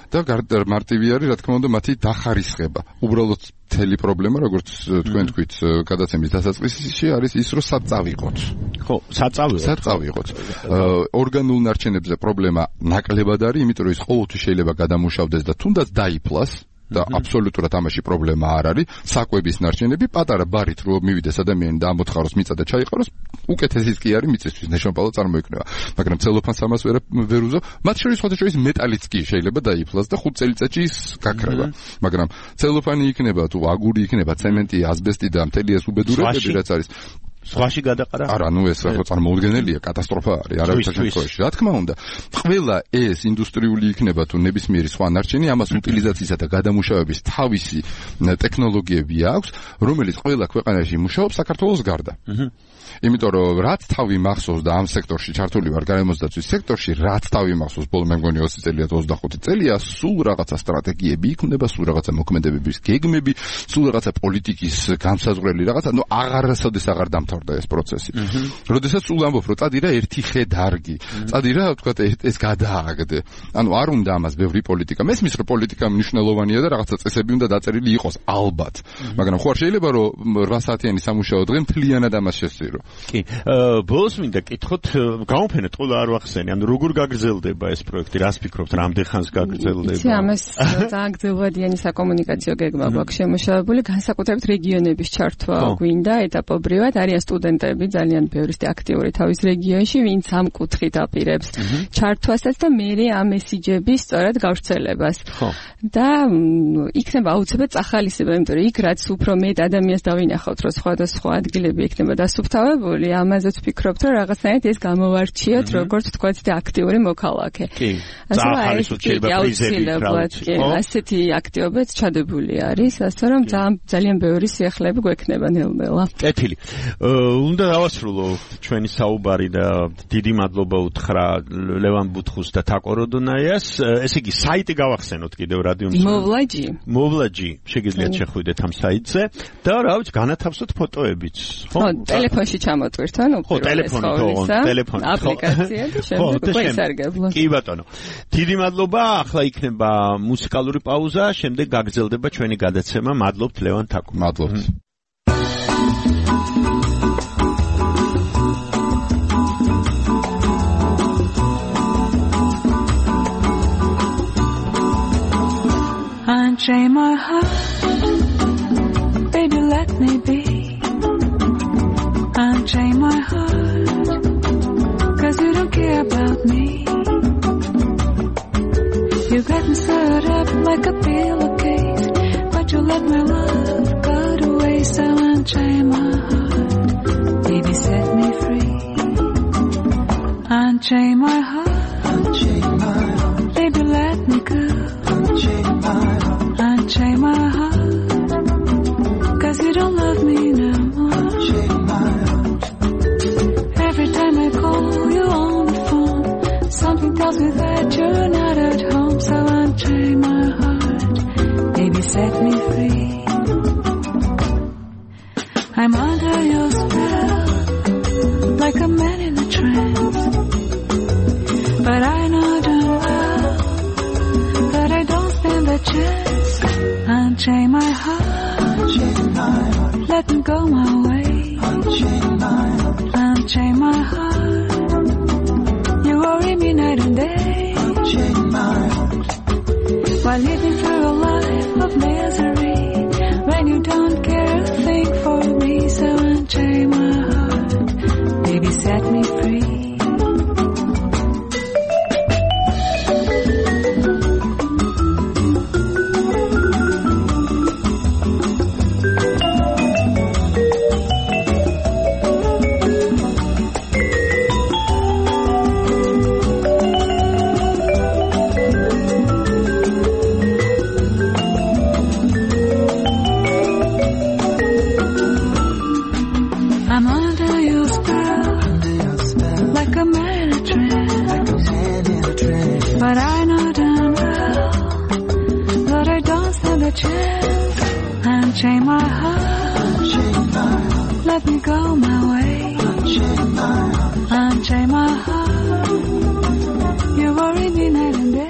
და მარტივი არის რა თქმა უნდა მათი დახარისხება. უბრალოდ მთელი პრობლემა როგორც თქვენ თქვით გადაცემის დასაწყისში არის ის რომ სად წავიღოთ. ხო, სად წავიღოთ. სად წავიღოთ. ორგანულ ნარჩენებზე პრობლემა ნაკლებად არის, იმიტომ რომ ის ყოველთვის შეიძლება გადამუშავდეს და თუნდაც დაიფლას. და აბსოლუტურად ამაში პრობლემა არ არის. საკვების ნარჩენები პატარა ბარით რო მივიდეს ადამიანი და ამოთხაროს მიწა და ჩაიყაროს, უკეთესიც კი არის მიწისთვის ნეშონპალა წარმოიქმნება. მაგრამ ცელოფანს ამას ვერ ვერ უზო. მათ შორის ხოთაშორის მეტალიც კი შეიძლება დაიფლას და ხუთ წელიწადში ის გაქრება. მაგრამ ცელოფანი იქნება თუ აგური იქნება, ცემენტი, ასბესტი და მთელი ეს უბედურებები რაც არის. სხვაში გადაყარა? არა, ნუ ეს რა წარმოუდგენელია, კატასტროფა არის, არავითარ შემთხვევაში. რა თქმა უნდა, ყველა ეს ინდუსტრიული იქნება თუ ნებისმიერი სხვა ნარჩენი, ამას უტილიზაციისა და გადამუშავების თავისი ტექნოლოგიები აქვს, რომელიც ყველა ქვეყანაში მუშაობს საქართველოს გარდა. იმიტომ რომ რაც თავი მახსოვს და ამ სექტორში ჩართული ვარ გარემოსდაცვის სექტორში, რაც თავი მახსოვს ბოლო მე მგონი ოცი წელია თუ ოცდახუთი წელია, სულ რაღაცა სტრატეგიები იქნება, სულ რაღაცა მოქმედებების გეგმები, სულ რაღაცა პოლიტიკის განსაზღვრელი რაღაცა, ნუ აღარასოდეს აღარ დამთავრდა ეს პროცესი. როდესაც სულ ამბობ, რომ წადი რა ერთი ხე დარგი, წადი რა თქვა ეს გადააგდე. ანუ არ უნდა ამას ბევრი პოლიტიკა. მესმის რომ პოლიტიკა მნიშვნელოვანია და რაღაცა წესები უნდა დაწერილი იყოს, ალბათ. მაგრამ ხო არ შეიძლება რომ რვა საათიანი სამუშაო დღე მთლიანად ამას შესწირო. კი, ბოლოს მინდა კითხოთ, გამოფენეთ ყველა არ ვახსენე, ანუ როგორ გაგრძელდება ეს პროექტი, რას ფიქრობთ, რამდენ ხანს გაგრძელდება? იცი, ამას ძალიან გრძელვადიანი საკომუნიკაციო გეგმა გვაქვს შემუშავებული, განსაკუთრებით რეგიონების ჩართვა გვინდა ეტაპობრივად, არიან სტუდენტები ძალიან ბევრი აქტიური თავის რეგიონში, ვინც ამ კუთხით აპირებს ჩართვასაც და მერე ამ მესიჯების სწორად გავრცელებას. და იქნება აუცილებლად წახალისება, იმიტომ რომ იქ რაც უფრო მეტ ადამიანს დავინახავთ, რომ სხვადასხვა ადგილები იქნება დასუფთავებული, ამაზეც ვფიქრობთ, რომ რაღაცნაირად ეს გამოვარჩიოთ, როგორც თქვათ და აქტიური მოქალაქე. კი. წახალისოთ შეიძლება პრიზები ბრალთ. ასეთი აქტივობაც ჩადებული არის, ასე რომ ძალიან ბევრი სიახლეები გვექნება ნელ-ნელა. კეთილი. უნდა დავასრულო ჩვენი საუბარი და დიდი მადლობა უთხრა ლევან ბუთხუს და თაკო როდონაიას. ესე იგი საიტი გავახსენოთ კიდევ რადიო მოვლაჯი მოვლაჯი შეგიძლიათ შეხვიდეთ ამ საიტზე და რა ვიცი განათავსოთ ფოტოებიც ხო ტელეფონში ჩამოტვირთ ანუ ხო ტელეფონი ხო ტელეფონი აპლიკაცია და შემდეგ უკვე ისარგებლო. კი ბატონო დიდი მადლობა. ახლა იქნება მუსიკალური პაუზა, შემდეგ გაგრძელდება ჩვენი გადაცემა. მადლობთ ლევან თაკო. მადლობთ. Unchain my heart, baby, let me be. Unchain my heart, cause you don't care about me. You're getting stirred up like a pillowcase, but you let my love go to waste. So unchain my heart, baby, set me free. Unchain my heart, unchain my heart, baby, let me go. Unchain my heart, unchain my heart, cause you don't love me no more. Unchain my heart. Every time I call you on the phone, something tells me that you're not at home. So unchain my heart, baby, set me free. I'm under your spell, like a man in a trance. But I know damn well that I don't stand a chance. Unchain my heart, unchain my heart, let me go my way. Unchain my heart, unchain my heart, you worry me night and day. Unchain my heart, while living through a life of misery, when you don't care a thing for me. So unchain my heart, baby, set me free. I'm under your spell, under your spell, like a man in a trance, like a man in a trance. But I know damn well that I don't stand a chance. Unchain my heart, unchain my heart, let me go my way. Unchain my heart, unchain my heart, you worry me night and day.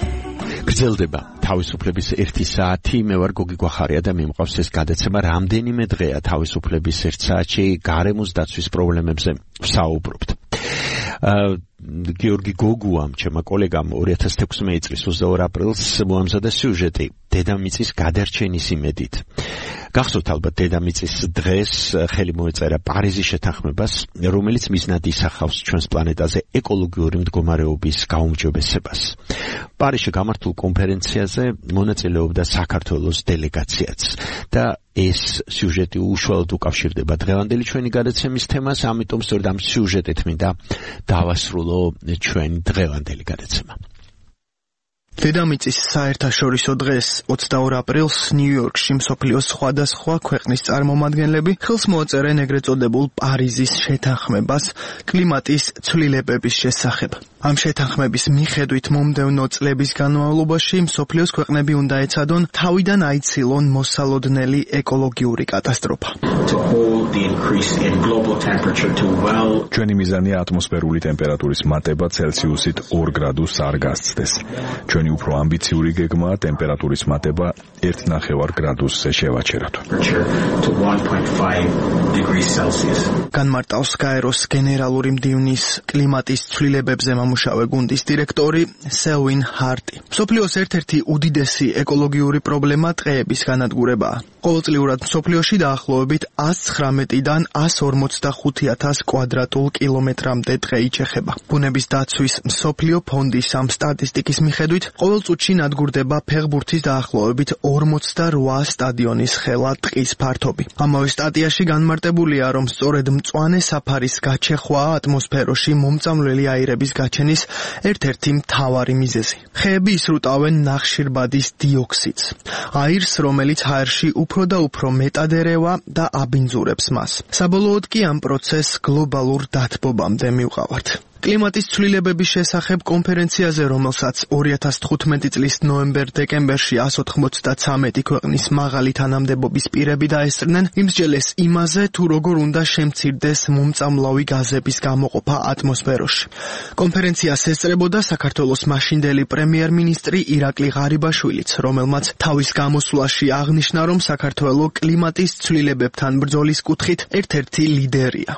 გრძელდება თავისუფლების ერთი საათი. მე ვარ გოგი გვახარია და მიმყავს ეს გადაცემა. რამდენიმე დღეა თავისუფლების ერთ საათში გარემოს დაცვის პრობლემებზე ვსაუბრობთ. გიორგი გოგუამ, ჩემმა კოლეგამ ორი ათას თექვსმეტი წლის ოცდაორი აპრილს მოამზადა სიუჟეტი დედამიწის გადარჩენის იმედით. გახსოვთ ალბათ დედამიწის დღეს ხელი მოეწერა პარიზის შეთანხმებას, რომელიც მიზნად ისახავს ჩვენს პლანეტაზე ეკოლოგიური მდგომარეობის გაუმჯობესებას. პარიზში გამართულ კონფერენციაზე მონაწილეობდა საქართველოს დელეგაციაც და ეს სიუჟეტი უშუალოდ უკავშირდება დღევანდელი ჩვენი გადაცემის თემას, ამიტომ სწორედ ამ სიუჟეტით მინდა დავასრულო ჩვენი დღევანდელი გადაცემა. დედამიწის საერთაშორისო დღეს ოცდაორ აპრილს ნიუ-იორკში მსოფლიოს სხვადასხვა ქვეყნის წარმომადგენლები ხელს მოაწერენ ეგრეთ წოდებულ პარიზის შეთანხმებას კლიმატის ცვლილებების შესახებ. ამ შეთანხმების მიხედვით მომდევნო წლების განმავლობაში მსოფლიოს ქვეყნები უნდა ეცადონ თავიდან აიცილონ მოსალოდნელი ეკოლოგიური კატასტროფა. ჩვენი მიზანია ატმოსფერული ტემპერატურის მატება ცელსიუსით ორ გრადუსს არ გასცდეს. ჩვენი უფრო ამბიციური გეგმაა ტემპერატურის მატება ერთ ნახევარ გრადუსზე შევაჩეროთ. განმარტავს გაეროს გენერალური მდივნის კლიმატის ცვლილებებზე მამუშავე გუნდის დირექტორი სელვინ ჰარტი. მსოფლიოს ერთ-ერთი უდიდესი ეკოლოგიური პრობლემა ტყეების განადგურებაა. ყოველწლიურად მსოფლიოში დაახლოებით ას ცხრამეტიდან ას ორმოცდახუთი ათას კვადრატულ კილომეტრამდე ტყე იჩეხება. ბუნების დაცვის მსოფლიო ფონდის ამ სტატისტიკის მიხედვით ყოველ წუთში ნადგურდება ფეხბურთის დაახლოებით ორმოცდარვა სტადიონის ხელა ტყის ფართობი. ამავე სტატიაში განმარტებულია, რომ სწორედ მწვანე საფარის გაჩეხვაა ატმოსფეროში მომწამლელი აირების გაჩენა გადარჩენის ერთ-ერთი მთავარი მიზეზი. ხეები ისრუტავენ ნახშირბადის დიოქსიდს, აირს, რომელიც ჰაერში უფრო და უფრო მეტად ერევა და აბინძურებს მას. საბოლოოდ კი ამ პროცესს გლობალურ დათბობამდე მივყავართ. კლიმატის ცვლილებების შესახებ კონფერენციაზე, რომელსაც ორი ათას თხუთმეტი წლის ნოემბერ-დეკემბერში εκατს ოთხმოცდათრამეტი ქვეყნის მაღალი თანამდებობის პირები დაესწრნენ, იმსჯელეს იმაზე, თუ როგორ უნდა შემცირდეს მომწამლავი გაზების გამოყოფა ატმოსფეროში. კონფერენციას ესწრებოდა საქართველოს მაშინდელი პრემიერ-მინისტრი ირაკლი ღარიბაშვილიც, რომელმაც თავის გამოსვლაში აღნიშნა, რომ საქართველო კლიმატის ცვლილებებთან ბრძოლის კუთხით ერთ-ერთი ლიდერია.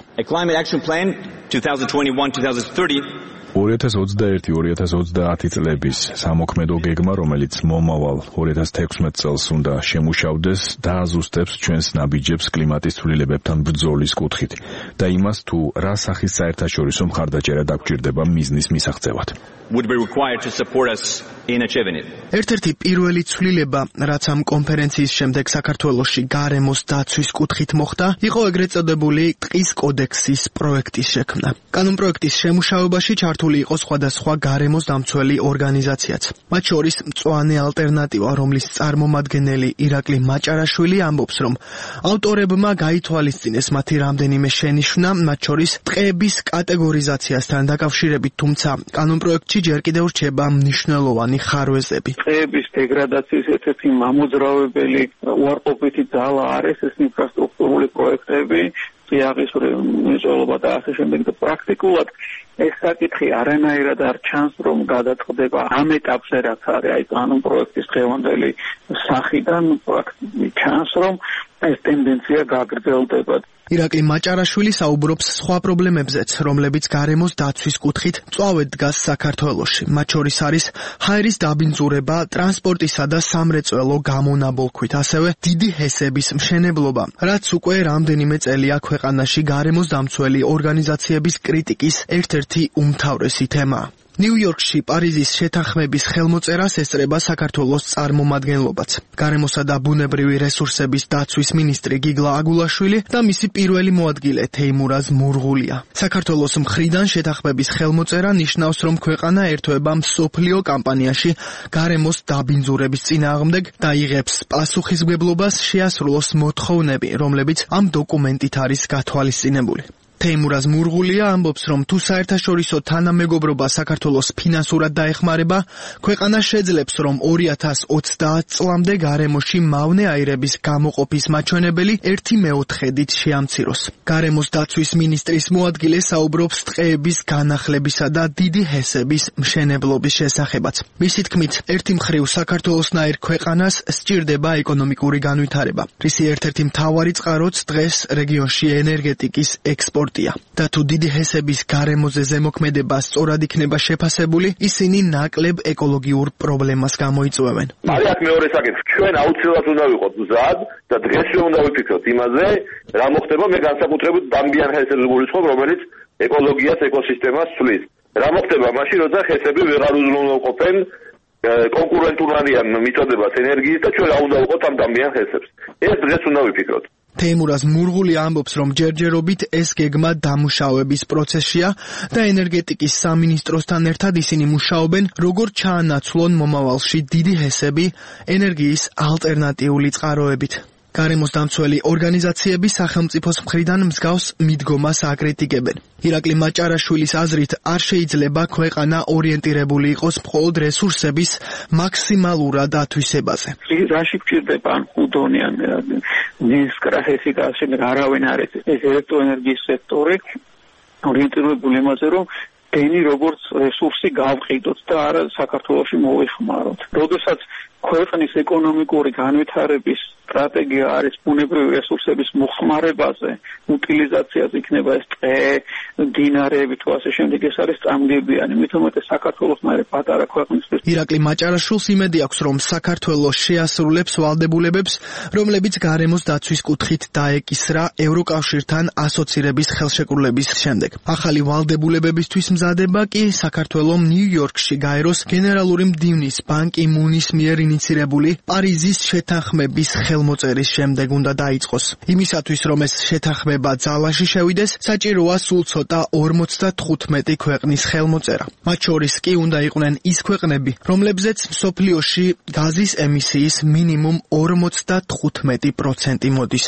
ორი ათას ოცდაერთი ორი ათას ოცდაათი წლების სამოქმედო გეგმა, რომელიც მომავალ ორი ათას თექვსმეტ წელს უნდა შემუშავდეს, დააზუსტებს ჩვენს ნაბიჯებს კლიმატის ცვლილებებთან ბრძოლის კუთხით და იმას, თუ რა სახის საერთაშორისო მხარდაჭერა დაგვჭირდება მიზნის მისაღწევად. ერთ-ერთი პირველი ცვლილება, რაც ამ კონფერენციის შემდეგ საქართველოში გარემოს დაცვის კუთხით მოხდა, იყო ეგრეთ წოდებული ტყის კოდექსის პროექტის შექმნა. კანონპროექტის შემუშავებაში ჩართული იყო სხვადასხვა გარემოს დამცველი ორგანიზაციაც. მათ შორის მწვანე ალტერნატივა, რომლის წარმომადგენელი ირაკლი მაჭარაშვილი ამბობს, რომ ავტორებმა გაითვალისწინეს მათი რამდენიმე შენიშვნა, მათ შორის ტყეების კატეგორიზაციასთან დაკავშირებით, თუმცა კანონპროექტში ჯერ კიდევ რჩება მნიშვნელოვანი ხარვეზები. ტყეების დეგრადაციის ერთ-ერთი მამოძრავებელი უარყოფითი ძალა არის ეს ინფრასტრუქტურული პროექტები, წიაღის მრეწველობა და ასე შემდეგ და პრაქტიკულად ეს საკითხი არანაირად არ ჩანს, რომ გადაწყდება ამ ეტაპზე, რაც არის აი კანონპროექტის დღევანდელი სახიდან პრაქტიკულად ჩანს, რომ ეს ტენდენცია გაგრძელდება. ირაკლი მაჭარაშვილი საუბრობს სხვა პრობლემებზეც, რომლებიც გარემოს დაცვის კუთხით მწვავედ დგას საქართველოში. მათ შორის არის ჰაერის დაბინძურება, ტრანსპორტისა და სამრეწველო გამონაბოლქვით, ასევე დიდი ჰესების მშენებლობა, რაც უკვე რამდენიმე წელია ქვეყანაში გარემოს დამცველი ორგანიზაციების კრიტიკის ერთ-ერთი უმთავრესი თემაა. ნიუ-იორკში პარიზის შეთანხმების ხელმოწერას ესწრება საქართველოს წარმომადგენლობაც. გარემოსა და ბუნებრივი რესურსების დაცვის მინისტრი გიგლა აგულაშვილი და მისი პირველი მოადგილე თეიმურაზ მურღულია. საქართველოს მხრიდან შეთანხმების ხელმოწერა ნიშნავს, რომ ქვეყანა ერთვება მსოფლიო კამპანიაში გარემოს დაბინძურების წინააღმდეგ და იღებს პასუხისმგებლობას შეასრულოს მოთხოვნები, რომლებიც ამ დოკუმენტით არის გათვალისწინებული. თეიმურაზ მურღულია ამბობს, რომ თუ საერთაშორისო თანამეგობრობა საქართველოს ფინანსურად დაეხმარება, ქვეყანა შეძლებს, რომ ორი ათას ოცდაათ წლამდე გარემოში მავნე აირების გამოყოფის მაჩვენებელი ერთი მეოთხედით შეამციროს. გარემოს დაცვის მინისტრის მოადგილე საუბრობს ტყეების განახლებისა და დიდი ჰესების მშენებლობის შესახებაც. მისი თქმით, ერთი მხრივ საქართველოსნაირ ქვეყანას სჭირდება ეკონომიკური განვითარება, რისი ერთ-ერთი მთავარი წყაროც დღეს რეგიონში ენერგეტიკის ექსპორტი და თუ დიდი ჰესების გარემოზე ზემოქმედება სწორად იქნება შეფასებული, ისინი ნაკლებ ეკოლოგიურ პრობლემას გამოიწვევენ. არის აქ მეორე საკითხი. ჩვენ აუცილებლად უნდა ვიყოთ მზად და დღეს უნდა ვიფიქროთ იმაზე, რა მოხდება მე განსაკუთრებით დამბიან ჰესებს გულისხმობ, რომელიც ეკოლოგიას, ეკოსისტემას ცვლის. რა მოხდება მაშინ, როცა ჰესები ვეღარ უზრუნველყოფენ კონკურენტულადიან მიწოდებას ენერგიის და ჩვენ რა უნდა ვიყოთ ამ დამბიან ჰესებს. ეს დღეს უნდა ვიფიქროთ. თეიმურაზ მურღული ამბობს, რომ ჯერჯერობით ეს გეგმა დამუშავების პროცესშია და ენერგეტიკის სამინისტროსთან ერთად ისინი მუშაობენ, როგორ ჩაანაცვლონ მომავალში დიდი ჰესები ენერგიის ალტერნატიული წყაროებით. გარემოს დამცველი ორგანიზაციები სახელმწიფოს მხრიდან მსგავს მიდგომას აკრიტიკებენ. ირაკლი მაჭარაშვილის აზრით, არ შეიძლება ქვეყანა ორიენტირებული იყოს მხოლოდ რესურსების მაქსიმალურად ათვისებაზე. რაში გვჭირდება უდონიან ნისკრახესი და ასე არავინ არის ეს ელექტროენერგიის სექტორი ორიენტირებული იმაზე, რომ ენი როგორც რესურსი გავყიდოთ და არა საქართველოში მოვეხმაროთ. როდესაც ქვეყნის ეკონომიკური განვითარების სტრატეგია არის ბუნებრივი რესურსების მოხმარებაზე, უტილიზაციაზე, იქნება ეს ტყე, მდინარეები თუ ასე შემდეგ, ეს არის წამგებიანი, მით უმეტეს საქართველოსნაირი პატარა ქვეყნისთვის. ირაკლი მაჭარაშვილს იმედი აქვს, რომ საქართველო შეასრულებს ვალდებულებებს, რომლებიც გარემოს დაცვის კუთხით დაეკისრა ევროკავშირთან ასოცირების ხელშეკრულების შემდეგ. ახალი ვალდებულებებისთვის მზადება კი საქართველომ ნიუ-იორკში გაეროს გენერალური მდივნის ბან კი მუნის მიერ ინიცირებული პარიზის შეთანხმების ხელმოწერის შემდეგ უნდა დაიწყოს. იმისათვის, რომ ეს შეთანხმება ძალაში შევიდეს, საჭიროა სულ ცოტა ორმოცდათხუთმეტი ქვეყნის ხელმოწერა. მათ შორის კი უნდა იყვნენ ის ქვეყნები, რომლებზეც მსოფლიოში გაზის ემისიის მინიმუმ ორმოცდათხუთმეტი პროცენტი მოდის.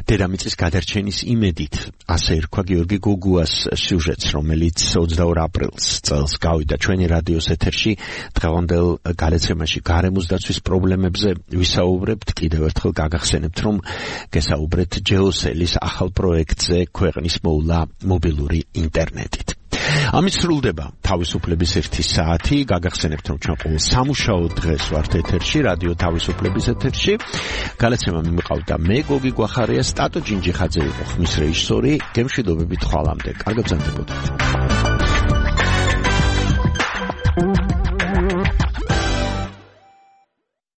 დედამიწის გადარჩენის იმედით, ასე ერქვა გიორგი გოგუას სიუჟეტს, რომელიც ოცდაორ აპრილს წელს გავიდა ჩვენი რადიოს ეთერში. დღევანდელ გადაცემაში გარემოს დაცვის პრობლემებზე ვისაუბრებთ. კიდევ ერთხელ გაგახსენებთ, რომ გესაუბრეთ ჯეოსელის ახალ პროექტზე ქვეყნის მოვლა მობილური ინტერნეტით. ამით სრულდება თავისუფლების ერთი საათი. გაგახსენებთ, რომ ჩვენ ყოველ სამუშაო დღეს ვართ ეთერში, რადიო თავისუფლების ეთერში. გადაცემა მიმყავდა მე, გოგი გვახარია, სტატო ჯინჯიხაძე იყო ხმის რეჟისორი. გემშვიდობებით ხვალამდე. კარგად გრძელდებოდეთ.